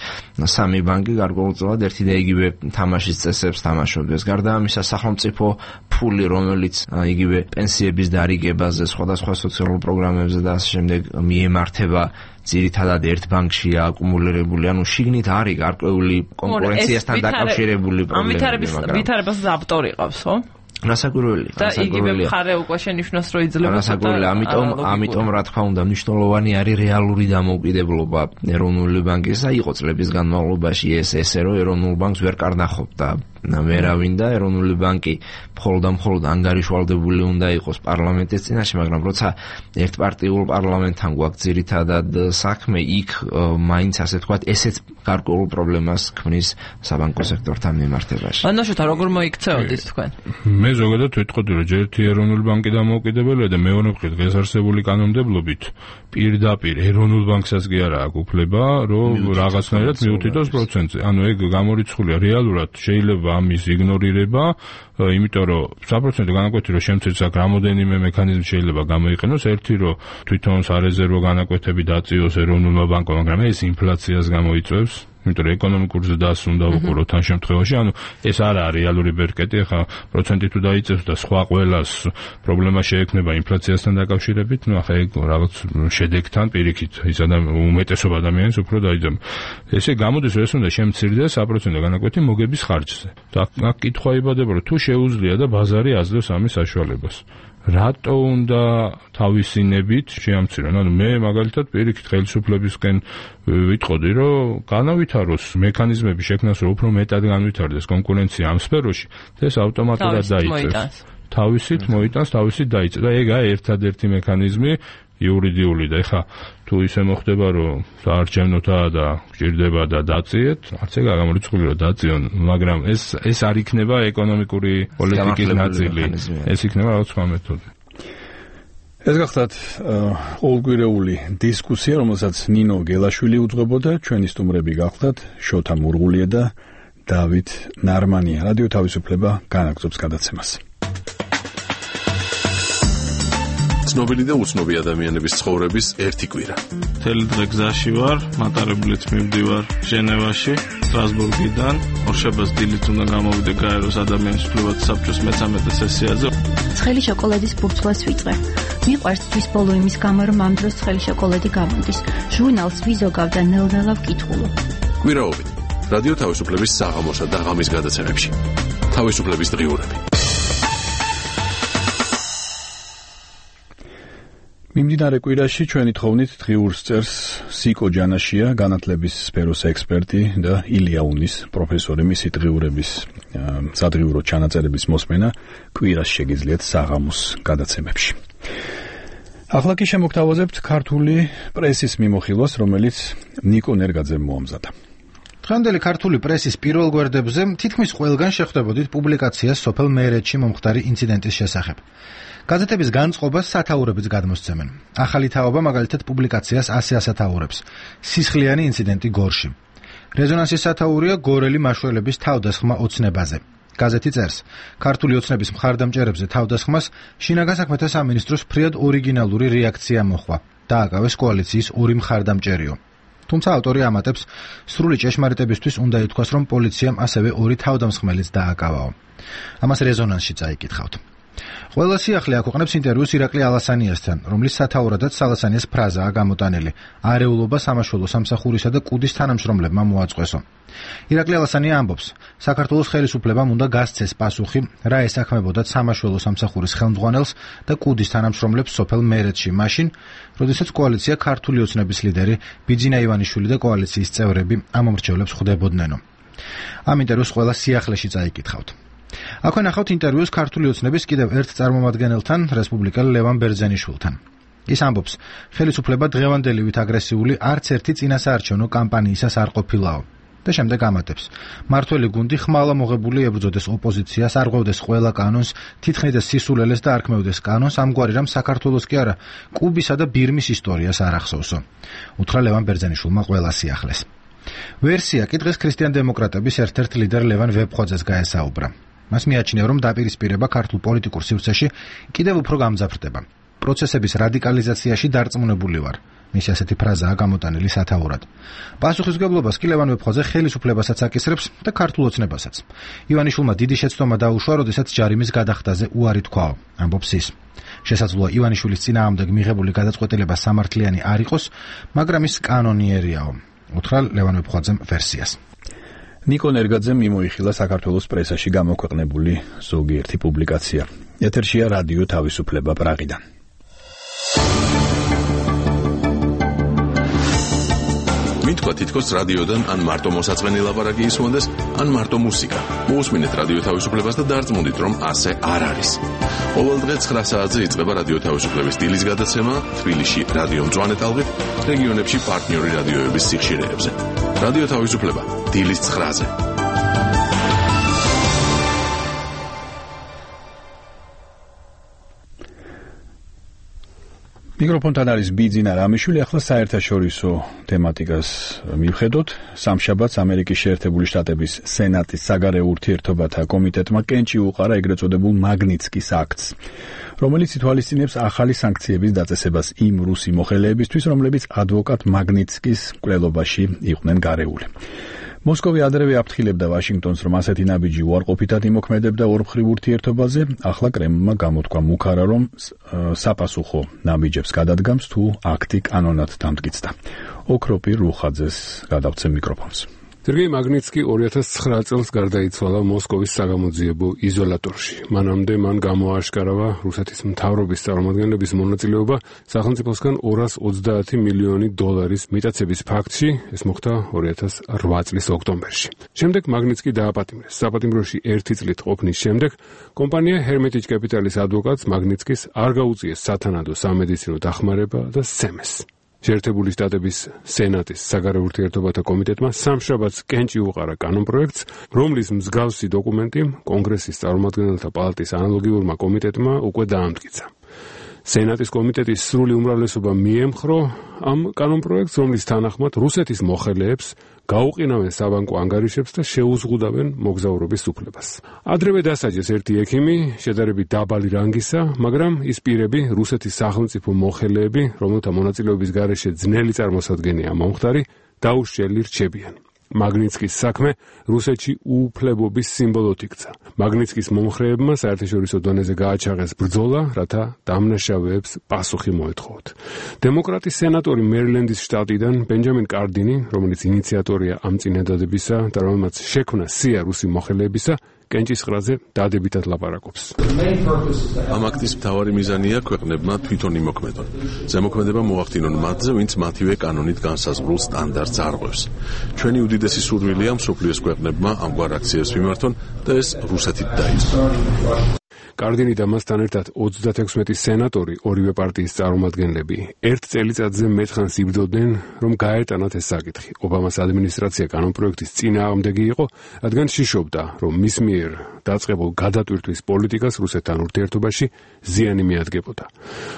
სამი ბანკი გარკვეულწილად ერთი და იგივე თამაშის წესებს თამაშობდეს. გარდა ამისა, სახელმწიფო ფული, რომელიც იგივე პენსიების დარიგებაზე, სხვადასხვა სოციალურ პროგრამებზე და ასე შემდეგ მიემართება ძირითადად ერთ ბანკშია აკუმულირებული, ანუ შიგნით არის გარკვეული კონკურენციასთან დაკავშირებული პრობლემები, მაგრამ ვითარებას ავტორი ყავს, ხო? რასაკვირველია. და იგივე მხარე უკვე შენიშნოს, რომ იძლება. რასაკვირველია, ამიტომ, ამიტომ რა თქმა უნდა, მნიშვნელოვანი არის რეალური დამოუკიდებლობა ეროვნული ბანკისა. იყო წლების განმავლობაში ეს ესე, რომ ეროვნულ ბანკს ვერ კარნახობდა ვერავინ და ეროვნული ბანკი მხოლოდ და მხოლოდ ანგარიშვალდებული უნდა იყოს პარლამენტის წინაშე, მაგრამ როცა ერთპარტიულ პარლამენტთან გვაქვს ძირითადად საქმე, იქ მაინც ასე თქვათ, ესეც გარკვეულ პრობლემას ქმნის საბანკო სექტორთან მიმართებაში. მანაშოთა როგორ მოიქცეოდით თქვენ? მე ზოგადად ვიტყოდი, რომ ერთი ეროვნული ბანკი დამოუკიდებელია და მეორე მხრივ დღეს არსებული კანონმდებლობით პირდაპირ ეროვნულ ბანკსაც კი არა აქვს უფლება, რომ რაღაცნაირად მიუთითოს პროცენტზე. ანუ ეგ გამორიცხულია რეალურად, შეიძლება ამის იგნორირება, იმიტომ რომ საპროცენტო განაკვეთი რომ შემცირდეს აქ რამოდენიმე მექანიზმი შეიძლება გამოიყენოს, ერთი რომ თვითონ სარეზერვო განაკვეთები დაწიოს ეროვნულმა ბანკმა, მაგრამ ეს ინფლაციას გამოიწვევს. იმიტომ რომ ეკონომიკურზე დასს უნდა უყუროთ ამ შემთხვევაში, ანუ ეს არ არის რეალური ბერკეტი, ახლა პროცენტი თუ დაიწევს და სხვა ყველას პრობლემა შეექმნება ინფლაციასთან დაკავშირებით, ну ახლა ეგ რაღაც შედეგთან პირიქით ის უმეტესობა ადამიანს უფრო დაიძაბა. ესე გამოდის, რომ ეს უნდა შემცირდეს საპროცენტო განაკვეთი მოგების ხარჯზე. და აქ კითხვა იბადება, რომ თუ შეუძლია და ბაზარი აძლევს ამის საშუალებას. რატო უნდა თავისინებით შეამცირონ? ანუ მე მაგალითად პირიქით ხელისუფლებისკენ ვიტყოდი, რომ განავითაროს მექანიზმები შექმნას, რომ უფრო მეტად განვითარდეს კონკურენცია ამ სფეროში და ეს ავტომატურად დაიწევს თავისით მოიტანს, თავისით დაიწყო და ეგაა ერთადერთი მექანიზმი იურიდიული და ეხა თუ ისე მოხდება რომ საარჩევნოთაა და გჭირდება და დაწიეთ, არც ეგ არ გამორიცხული რომ დაწიონ, მაგრამ ეს ეს არ იქნება ეკონომიკური პოლიტიკის ნაწილი, ეს იქნება რაღაც სხვა მეთოდი. ეს გახლავთ ყოველკვირეული დისკუსია, რომელსაც ნინო გელაშვილი უძღვებოდა, ჩვენი სტუმრები გახლავთ შოთა მურღულია და დავით ნარმანია. რადიო თავისუფლება განაგრძობს გადაცემას. ცნობილი და უცნობი ადამიანების ცხოვრების ერთი კვირა. მთელი დღე გზაში ვარ, მატარებლით მივდივარ ჟენევაში, სტრასბურგიდან, ორშაბათს დილით უნდა გამოვიდე გაეროს ადამიანის უფლებათა საბჭოს მეცამეტე სესიაზე. ცხელი შოკოლადის ბურთულას ვიწყე. მიყვარს თვის ბოლო იმის გამო, რომ ამ დროს ცხელი შოკოლადი გამოდის. ჟურნალს ვიზოგავ და ნელ-ნელა ვკითხულობ. კვირაობით რადიო თავისუფლების საღამოსა და ღამის გადაცემებში. თავისუფლების დღიურები. მიმდინარე კვირაში ჩვენი თხოვნით დღიურს წერს სიკო ჯანაშია, განათლების სფეროს ექსპერტი და ილია უნის პროფესორი. მისი დღიურების სადღიურო ჩანაწერების მოსმენა კვირას შეგიძლიათ საღამოს გადაცემებში. ახლა კი შემოგთავაზებთ ქართული პრესის მიმოხილვას, რომელიც ნიკო ნერგაძემ მოამზადა. დღევანდელი ქართული პრესის პირველ გვერდებზე თითქმის ყველგან შეხვდებოდით პუბლიკაციას სოფელ მეერეთში მომხდარი ინციდენტის შესახებ. გაზეთების განწყობას სათაურებიც გადმოსცემენ. ახალი თაობა მაგალითად პუბლიკაციას ასე ასათაურებს. სისხლიანი ინციდენტი გორში. რეზონანსის სათაურია გორელი მაშველების თავდასხმა ოცნებაზე. გაზეთი წერს, ქართული ოცნების მხარდამჭერებზე თავდასხმას შინაგან საქმეთა სამინისტროს ფრიად ორიგინალური რეაქცია მოჰყვა. დააკავეს კოალიციის ორი მხარდამჭერიო. თუმცა ავტორი ამატებს, სრული ჭეშმარიტებისთვის უნდა ითქვას, რომ პოლიციამ ასევე ორი თავდამსხმელიც დააკავაო. ამას რეზონანსში წაიკითხავთ. ყველა სიახლე აქვეყნებს ინტერვიუს ირაკლი ალასანიასთან, რომლის სათაურადაც ალასანიას ფრაზაა გამოტანილი: არეულობა სამაშველო სამსახურისა და კუდის თანამშრომლებმა მოაწყვესო. ირაკლი ალასანია ამბობს, საქართველოს ხელისუფლებამ უნდა გასცეს პასუხი, რა ესაქმებოდათ სამაშველო სამსახურის ხელმძღვანელს და კუდის თანამშრომლებს სოფელ მეერეთში მაშინ, როდესაც კოალიცია ქართული ოცნების ლიდერი ბიძინა ივანიშვილი და კოალიციის წევრები ამ მომრჩევლებს ხვდებოდნენო. ამ ინტერვიუს ყველა სიახლეში წაიკითხავთ. აქვე ნახავთ ინტერვიუს ქართული ოცნების კიდევ ერთ წარმომადგენელთან, რესპუბლიკელ ლევან ბერძენიშვილთან. ის ამბობს, ხელისუფლება დღევანდელივით აგრესიული არც ერთი წინასაარჩევნო კამპანიისას არ ყოფილაო. და შემდეგ ამატებს, მართველი გუნდი ხმალა მოღებული ებრძოდეს ოპოზიციას, არღვევდეს ყველა კანონს, თითქმის სისულელეს და არქმევდეს კანონს, ამგვარი რამ საქართველოს კი არა, კუბისა და ბირმის ისტორიას არ ახსოვსო. უთხრა ლევან ბერძენიშვილმა ყველა სიახლეს. ვერსია კი დღეს ქრისტიან-დემოკრატების ერთ-ერთ ლიდერ ლევან ვებხვაძეს გაესაუბრა. მას მიაჩნია, რომ დაპირისპირება ქართულ პოლიტიკურ სივრცეში კიდევ უფრო გამძაფრდება. პროცესების რადიკალიზაციაში დარწმუნებული ვარ. მისი ასეთი ფრაზაა გამოტანილი სათაურად. პასუხისმგებლობას კი ლევან ვებხვაძე ხელისუფლებასაც აკისრებს და ქართულ ოცნებასაც. ივანიშვილმა დიდი შეცდომა დაუშვა, როდესაც ჯარიმის გადახდაზე უარი თქვაო, ამბობს ის. შესაძლოა ივანიშვილის წინააღმდეგ მიღებული გადაწყვეტილება სამართლიანი არ იყოს, მაგრამ ის კანონიერიაო. უთხრა ლევან ვებხვაძემ ვერსიას. ნიკო ნერგაძემ მიმოიხილა საქართველოს პრესაში გამოქვეყნებული ზოგიერთი პუბლიკაცია. ეთერშია რადიო თავისუფლება პრაღიდან. მითქვა თითქოს რადიოდან ან მარტო მოსაწყენი ლაპარაკი ისმოდეს, ან მარტო მუსიკა. მოусმინეთ რადიო თავისუფლებას და დარწმუნდით, რომ ასე არ არის. ყოველ დღე ცხრა საათზე იწყება რადიო თავისუფლების დილის გადაცემა, თბილისში რადიო მწვანე ტალღით, რეგიონებში პარტნიორი რადიოების სიხშირეებზე. რადიო თავისუფლება დილის ცხრაზე. მიკროფონთან არის ბიძინა რამიშვილი. ახლა საერთაშორისო თემატიკას მივხედოთ. სამშაბათს ამერიკის შეერთებული შტატების სენატის საგარეო ურთიერთობათა კომიტეტმა კენჭი უყარა ეგრეთ წოდებულ მაგნიცკის აქტს, რომელიც ითვალისწინებს ახალი სანქციების დაწესებას იმ რუსი მოხელეებისთვის, რომლებიც ადვოკატ მაგნიცკის მკვლელობაში იყვნენ გარეული. მოსკოვი ადრევე აფრთხილებდა ვაშინგტონს, რომ ასეთი ნაბიჯი უარყოფითად იმოქმედებდა ორმხრივ ურთიერთობაზე. ახლა კრემლმა გამოთქვა მუქარა, რომ საპასუხო ნაბიჯებს გადადგამს, თუ აქტი კანონად დამტკიცდა. ოქროპირ რუხაძეს გადავცემ მიკროფონს. სერგეი მაგნიცკი ორი ათას ცხრა წელს გარდაიცვალა მოსკოვის საგამოძიებო იზოლატორში. მანამდე მან გამოააშკარავა რუსეთის მთავრობის წარმომადგენლების მონაწილეობა სახელმწიფოსგან ორას ოცდაათი მილიონი დოლარის მიტაცების ფაქტში, ეს მოხდა ორი ათას რვა წლის ოქტომბერში. შემდეგ მაგნიცკი დააპატიმრეს. საპატიმროში ერთი წლით ყოფნის შემდეგ კომპანია Hermitage Capital-ის ადვოკატს მაგნიცკის არ გაუწიეს სათანადო სამედიცინო დახმარება და სცემეს. შეერთებული შტატების სენატის საგარეო ურთიერთობათა კომიტეტმა სამშაბათს კენჭი უყარა კანონპროექტს, რომლის მსგავსი დოკუმენტი კონგრესის წარმომადგენელთა პალატის ანალოგიურმა კომიტეტმა უკვე დაამტკიცა. სენატის კომიტეტის სრული უმრავლესობა მიემხრო ამ კანონპროექტს, რომლის თანახმად რუსეთის მოხელეებს გაუყინავენ საბანკო ანგარიშებს და შეუზღუდავენ მოგზაურობის უფლებას. ადრევე დასაჯეს ერთი ექიმი, შედარებით დაბალი რანგისა, მაგრამ ის პირები, რუსეთის სახელმწიფო მოხელეები, რომელთა მონაწილეობის გარეშე ძნელი წარმოსადგენია მომხდარი, დაუშლილი რჩებიან. მაგნიცკის საქმე რუსეთში უუფლებობის სიმბოლოდ იქცა. მაგნიცკის მომხრეებმა საერთაშორისო დონეზე გააჩაღეს ბრძოლა, რათა დამნაშავეებს პასუხი მოეთხოვოთ. დემოკრატის სენატორი მერილენდის შტატიდან ბენჯამინ კარდინი, რომელიც ინიციატორია ამ წინადადებისა და რომელმაც შექმნა სია რუსი მოხელეებისა, კენჭისყრაზე დადებითად ლაპარაკობს. ამ აქტის მთავარი მიზანია ქვეყნებმა თვითონ იმოქმედონ. ზემოქმედება მოახდინონ მათზე, ვინც მათივე კანონით განსაზღვრულ სტანდარტს არღვევს. ჩვენი უდიდესი სურვილია მსოფლიოს ქვეყნებმა ამგვარ აქციებს მიმართონ და ეს რუსეთით დაიწყო. კარდინი და მასთან ერთად ოცდათექვსმეტი სენატორი, ორივე პარტიის წარმომადგენლები, ერთ წელიწადზე მეტხანს იბრძოდნენ, რომ გაეტანათ ეს საკითხი. ობამას ადმინისტრაცია კანონპროექტის წინააღმდეგი იყო, რადგან შიშობდა, რომ მის მიერ დაწყებულ გადატვირთვის პოლიტიკას რუსეთთან ურთიერთობაში ზიანი მიადგებოდა.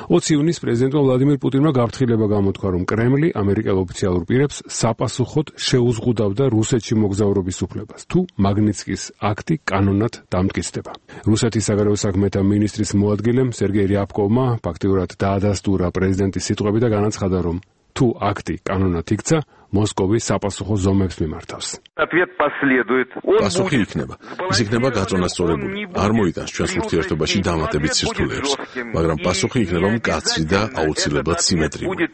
ოცი ივნისს პრეზიდენტმა ვლადიმირ პუტინმა გაფრთხილება გამოთქვა, რომ კრემლი ამერიკელ ოფიციალურ პირებს საპასუხოდ შეუზღუდავდა რუსეთში მოგზაურობის უფლებას, თუ მაგნიცკის აქტი კანონად დამტკიცდება. რუსეთის საგარეო საქმეთა მინისტრის მოადგილემ სერგეი რიაბკოვმა ფაქტიურად დაადასტურა პრეზიდენტის სიტყვები და განაცხადა, რომ თუ აქტი კანონად იქცა, მოსკოვი საპასუხო ზომებს მიმართავს. პასუხი იქნება. ის იქნება გაწონასწორებული. არ მოიტანს ჩვენს ურთიერთობაში დამატებით სირთულეებს, მაგრამ პასუხი იქნება მკაცრი და აუცილებლად სიმეტრიული.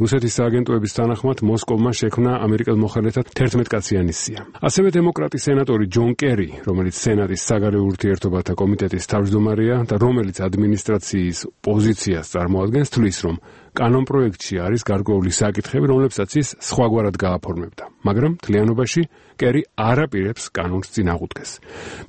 რუსეთის სააგენტოების თანახმად მოსკოვმა შექმნა ამერიკელ მოხელეთა თერთმეტკაციანი სია. ასევე დემოკრატის სენატორი ჯონ კერი, რომელიც სენატის საგარეო ურთიერთობათა კომიტეტის თავმჯდომარეა და რომელიც ადმინისტრაციის პოზიციას წარმოადგენს, თვლის, რომ კანონპროექტში არის გარკვეული საკითხები, რომლებსაც ის სხვაგვარად გააფორმებდა, მაგრამ მთლიანობაში კერი არ აპირებს კანონს წინ აღუდგეს.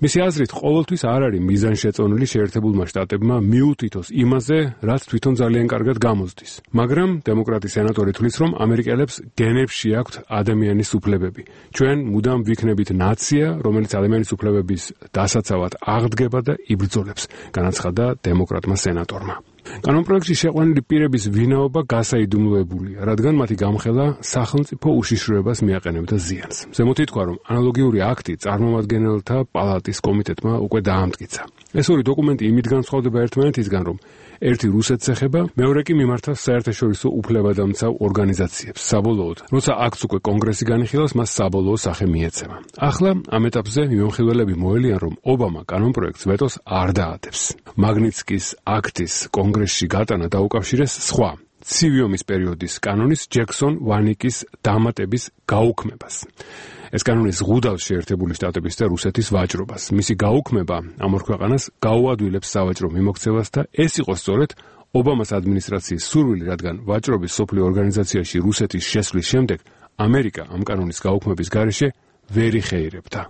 მისი აზრით, ყოველთვის არ არის მიზანშეწონილი შეერთებულმა შტატებმა მიუთითოს იმაზე, რაც თვითონ ძალიან კარგად გამოსდის. მაგრამ დემოკრატის სენატორი თვლის, რომ ამერიკელებს გენებში აქვთ ადამიანის უფლებები. ჩვენ მუდამ ვიქნებით ნაცია, რომელიც ადამიანის უფლებების დასაცავად აღდგება და იბრძოლებს, განაცხადა დემოკრატმა სენატორმა. კანონპროექტში შეყვანილი პირების ვინაობა გასაიდუმლოებულია, რადგან მათი გამხელა სახელმწიფო უშიშროებას მიაყენებდა ზიანს. ზემოთ ითქვა, რომ ანალოგიური აქტი წარმომადგენელთა პალატის კომიტეტმა უკვე დაამტკიცა. ეს ორი დოკუმენტი იმით განსხვავდება ერთმანეთისგან, რომ ერთი რუსეთს ეხება, მეორე კი მიმართავს საერთაშორისო უფლებადამცავ ორგანიზაციებს. საბოლოოდ, როცა აქტს უკვე კონგრესი განიხილავს, მას საბოლოო სახე მიეცემა. ახლა ამ ეტაპზე მიმოხილველები მოელიან, რომ ობამა კანონპროექტს ვეტოს არ დაადებს. მაგნიცკის აქტის კონგრესში გატანა დაუკავშირეს სხვა ცივი ომის პერიოდის კანონის ჯექსონ ვანიკის დამატების გაუქმებას. ეს კანონი ზღუდავს შეერთებული შტატების და რუსეთის ვაჭრობას. მისი გაუქმება ამ ორ ქვეყანას გაუადვილებს სავაჭრო მიმოქცევას და ეს იყო სწორედ ობამას ადმინისტრაციის სურვილი, რადგან ვაჭრობის სოფლიო ორგანიზაციაში რუსეთის შესვლის შემდეგ ამერიკა ამ კანონის გაუქმების გარეშე ვერ იხეირებდა.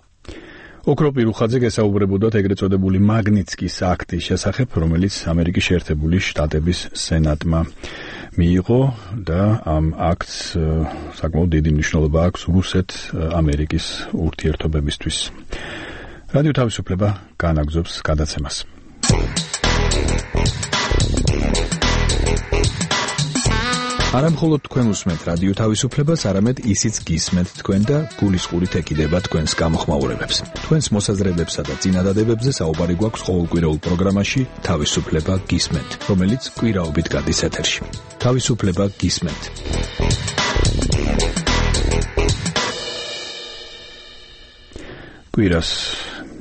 ოქრო პირუხაძე გესაუბრებოდათ ეგრეთ წოდებული მაგნიცკის აქტის შესახებ, რომელიც ამერიკის შეერთებული შტატების სენატმა მიიღო და ამ აქტს საკმაოდ დიდი მნიშვნელობა აქვს რუსეთ-ამერიკის ურთიერთობებისთვის. რადიო თავისუფლება განაგრძობს გადაცემას. არა მხოლოდ თქვენ უსმენთ რადიო თავისუფლებას, არამედ ისიც გისმენთ თქვენ და გულისყურით ეკიდება თქვენს გამოხმაურებებს. თქვენს მოსაზრებებსა და წინადადებებზე საუბარი გვაქვს ყოველკვირეულ პროგრამაში თავისუფლება გისმენთ, რომელიც კვირაობით გადის ეთერში. თავისუფლება გისმენთ. კვირას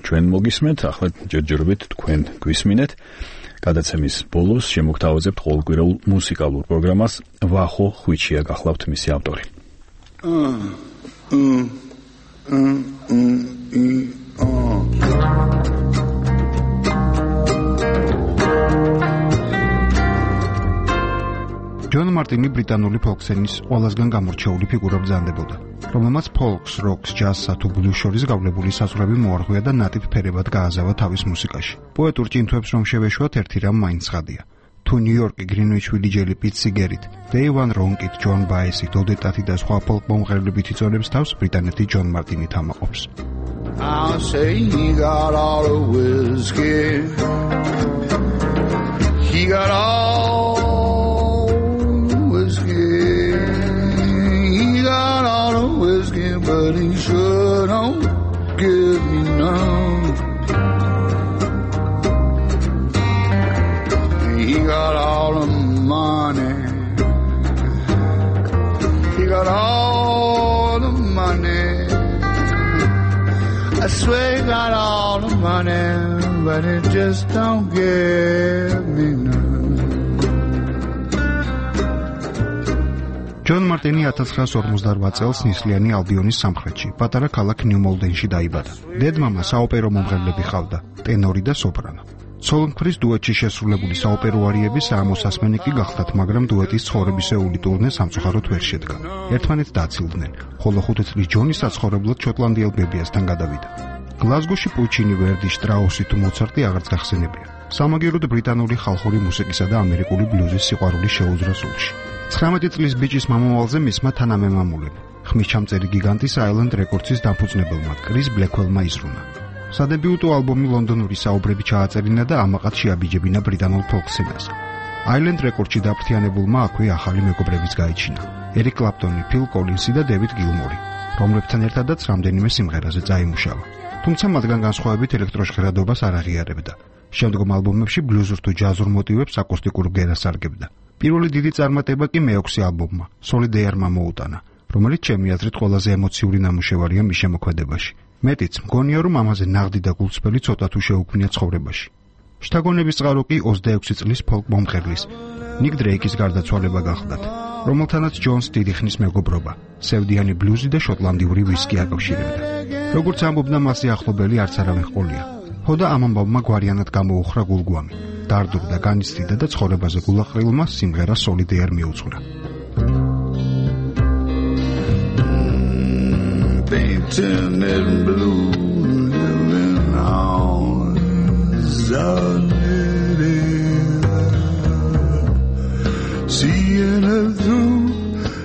ჩვენ მოგისმენთ, ახლა ჯერჯერობით თქვენ გვისმინეთ. გადაცემის ბოლოს შემოგთავაზებთ ყოველკვირეულ მუსიკალურ პროგრამას. ვახო ხვიჩია გახლავთ მისი ავტორი. ჯონ მარტინი ბრიტანული ფოლკსენის ყველაზე გამორჩეული ფიგურა ბრძანდებოდა, რომელმაც ფოლკს, როკს, ჯაზსა თუ ბლუზს შორის გავლებული საზღვრები მოარღვია და ნატიფ ფერებად გააზავა თავის მუსიკაში. პოეტურ ჭინთვებს რომ შევეშვათ, ერთი რამ მაინც ხადია. თუ ნიუ-იორკი, გრინვიჩ ვილიჯელი, პიტ სიგერით, დეივან რონკით, ჯონ ბაესით, ოდეტათი და სხვა ფოლკ მომღერლებით იწონებს თავს, ბრიტანეთი ჯონ მარტინით ამაყობს. I'll say he got all the whiskey. He got all the whiskey. He got all the whiskey, but he sure don't give me none. He got all the money. He got all the money. I swear he got all the money, but it just don't give me none. ჯონ მარტინი ათას ცხრაას ორმოცდაოთხ წელს ნისლიანი ალბიონის სამხრეთში, პატარა ქალაქ ნიუ-მოლდენში დაიბადა. დედმამა საოპერო მომღერლები ჰყავდა, ტენორი და სოპრანო. სოლო-მხრის დუეტში შესრულებული საოპერო არიები საამოსასმენი კი გახდათ, მაგრამ დუეტის ცხოვრებისეული ტურნე სამწუხაროდ ვერ შედგა. ერთმანეთს დააცილდნენ, ხოლო ხუთი წლის ჯონი საცხოვრებლად შოტლანდიელ ბებიასთან გადავიდა. გლაზგოში პუჩინი, ვერდი, შტრაუსი თუ მოცარტი აღარც გახსენებია. სამაგიეროდ ბრიტანული ხალხური მუსიკისა და ამერიკული ბლუზის სიყვარული შეუძრა სულში. ცხრამეტი წლის ბიჭის მამავალზე მისმა თანამემამულემ, ხმისჩამწერი გიგანტის აილენდ რეკორდსის დამფუძნებელმა კრის ბლექველმა იზრუნა. სადებიუტო ალბომი ლონდონური საუბრები ჩააწერინა და ამაყად შეაბიჯებინა ბრიტანულ ფოლკსცენას. აილენდ რეკორდში დაფრთიანებულმა აქვე ახალი მეგობრებიც გაიჩინა. ერიკ კლაპტონი, ფილ კოლინსი და დევიდ გილმორი, რომლებთან ერთადაც რამდენიმე სიმღერაზე წაიმუშავა. თუმცა მათგან განსხვავებით ელექტროჟღერადობას არ აღიარებდა. შემდგომ ალბომებში ბლუზურ თუ ჯაზურ მოტივებს აკუსტიკურ ბგერას სარგებდა. პირველი დიდი წარმატება კი მეექვსე ალბომმა, სოლიდეარმა მოუტანა, რომელიც ჩემი აზრით ყველაზე ემოციური ნამუშევარია მის შემოქმედებაში. მეტიც მგონია, რომ ამაზე ნაღდი და გულწრფელი ცოტა თუ შეუქმნია ცხოვრებაში. შთაგონების წყარო კი ოცდაექვსი წლის ფოლკ მომღერლის, ნიკ დრეიკის გარდაცვალება გახლდათ, რომელთანაც ჯონს დიდი ხნის მეგობრობა, სევდიანი ბლუზი და შოტლანდიური ვისკი აკავშირებდა. როგორც ამბობდა მასზე ახლობელი არც არავინ ჰყოლია. ხოდა ამ ამბავმა გვარიანად გამოუხრა გულგვამი, დარდურდა, განიცდიდა და ცხოვრებაზე გულაყრილმა სიმღერა სოლიდეარ მიუძღვრა. Painting in blue, living on solid air. Seeing it through,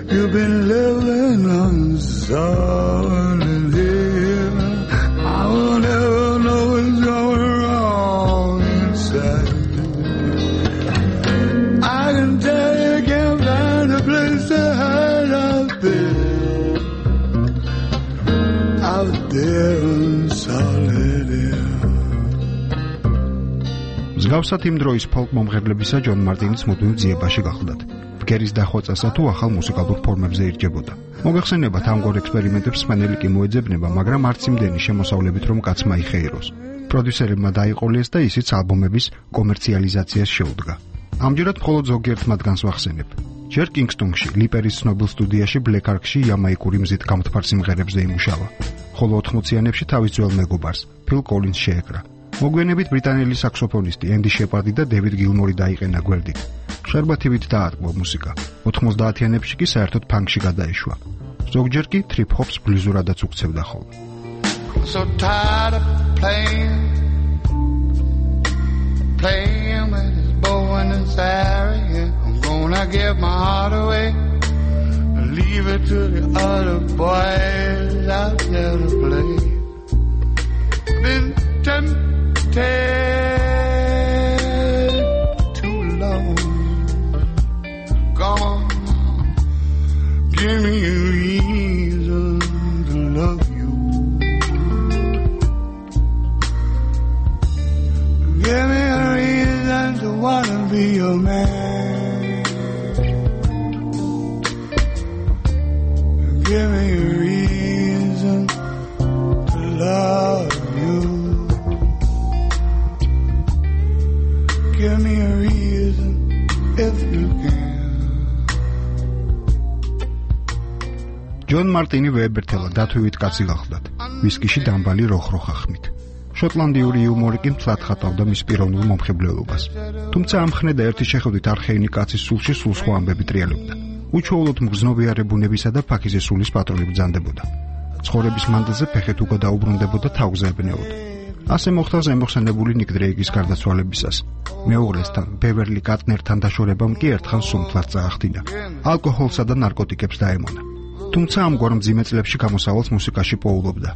you've been living on solid air. I will never know what's going wrong inside. I can tell you can't find a place to hide out there. მსგავსად იმ დროის ფოლკ მომღერლებისა ჯონ მარტინის მუდმივ ძიებაში გახლდათ. ბგერის დახვეწასა თუ ახალ მუსიკალურ ფორმებზე ირჯებოდა. მოგეხსენებათ, ამგვარ ექსპერიმენტებს სმენელი კი მოეძებნება, მაგრამ არც იმდენი შემოსავლებით, რომ კაცმა იხეიროს. პროდიუსერებმა დაიყოლეს და ისიც ალბომების კომერციალიზაციას შეუდგა. ამჯერად მხოლოდ ზოგიერთ მათგანს ვახსენებ. ჯერ კინგსტონში, ლიპერის ცნობილ სტუდიაში ბლეკ არკში იამაიკური მზით გამთფარ სიმღერებზე იმუშავა, ხოლო ოთხმოციანებში თავის ძველ მეგობარს, ფილ კოლინს შეეკრა. მოგვიანებით ბრიტანელი საქსოფონისტი ენდი შეპარდი და დევიდ გილმორი დაიყენა გვერდით. შარბათივით დაატყვა მუსიკა. ოთხმოცდაათიანებში კი საერთოდ ფანკში გადაეშვა. ზოგჯერ კი ტრიპ ჰოპს ბლუზურადაც უქცევდა ხოლმე. So tired of playing, playing with his bow and his arrow. I'm gonna give my heart away, leave it to the other boys out there to play. Been tempted too long. Come on, give me a reason to love you. Give me a reason to wanna be your man. Give me a reason to love you. Give me a reason if you can. ჯონ მარტინი ვეებერთელა დათვივით კაცი გახლდათ. ვისკიში დამბალი როხროხახმით. შოტლანდიური იუმორი კი მთლად ხატავდა მის პიროვნულ მომხიბვლელობას. თუმცა ამ ხნედა ერთი შეხედვით არხეინი კაცის სულში სულ სხვა ამბები ტრიალებდა. უჩვეულოდ მგრძნობიარე ბუნებისა და ფაქიზის სულის პატრონი ბრძანდებოდა. ცხოვრების მანძილზე ფეხით უკვე დაუბრუნდებოდა თავზე ებნელოდა. ასე მოხდა ზემოხსენებული ნიკ დრეიკის გარდაცვალებისას. მეუღლესთან, ბევერლი კატნერთან დაშორებამ კი ერთხელ სუმთლად წაახდინა. ალკოჰოლსა და ნარკოტიკებს დაემონა. თუმცა ამგვარ მძიმე წლებში გამოსავალს მუსიკაში პოულობდა.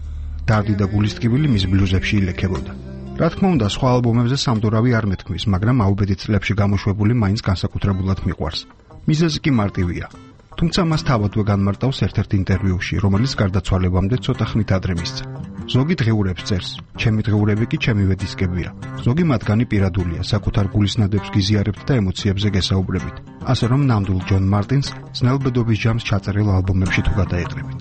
დარდი და გულის ტკივილი მის ბლუზებში ილექებოდა. რა თქმა უნდა, სხვა ალბომებზე სამდურავი არ მეთქმის, მაგრამ აუბედით წლებში გამოშვებული მაინც განსაკუთრებულად მიყვარს. მიზეზი კი მარტივია. თუმცა მას თავადვე განმარტავს ერთ-ერთ ინტერვიუში, რომელიც გარდაცვალებამდე ცოტა ხნით ადრე მისცა. ზოგი დღეურებს წერს, ჩემი დღეურები კი ჩემივე დისკებია. ზოგი მათგანი პირადულია, საკუთარ გულისნადებს გიზიარებთ და ემოციებზე გესაუბრებით. ასე რომ ნამდვილ ჯონ მარტინს ძნელბედობის ჯამს ჩაწერილ ალბომებში თუ გადაეტყრებით.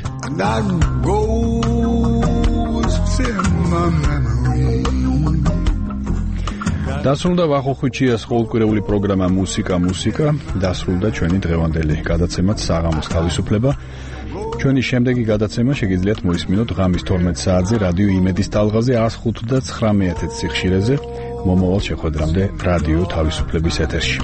დასრულდა ვახოხუჩიას ყოველკვირეული პროგრამა მუსიკა მუსიკა, დასრულდა ჩვენი დღევანდელი გადაცემაც საღამოს თავისუფლება. ჩვენი შემდეგი გადაცემა შეგიძლიათ მოისმინოთ ღამის თორმეტ საათზე რადიო იმედის ტალღაზე one oh five და nine one one სიხშირეზე. მომავალ შეხვედრამდე რადიო თავისუფლების ეთერში.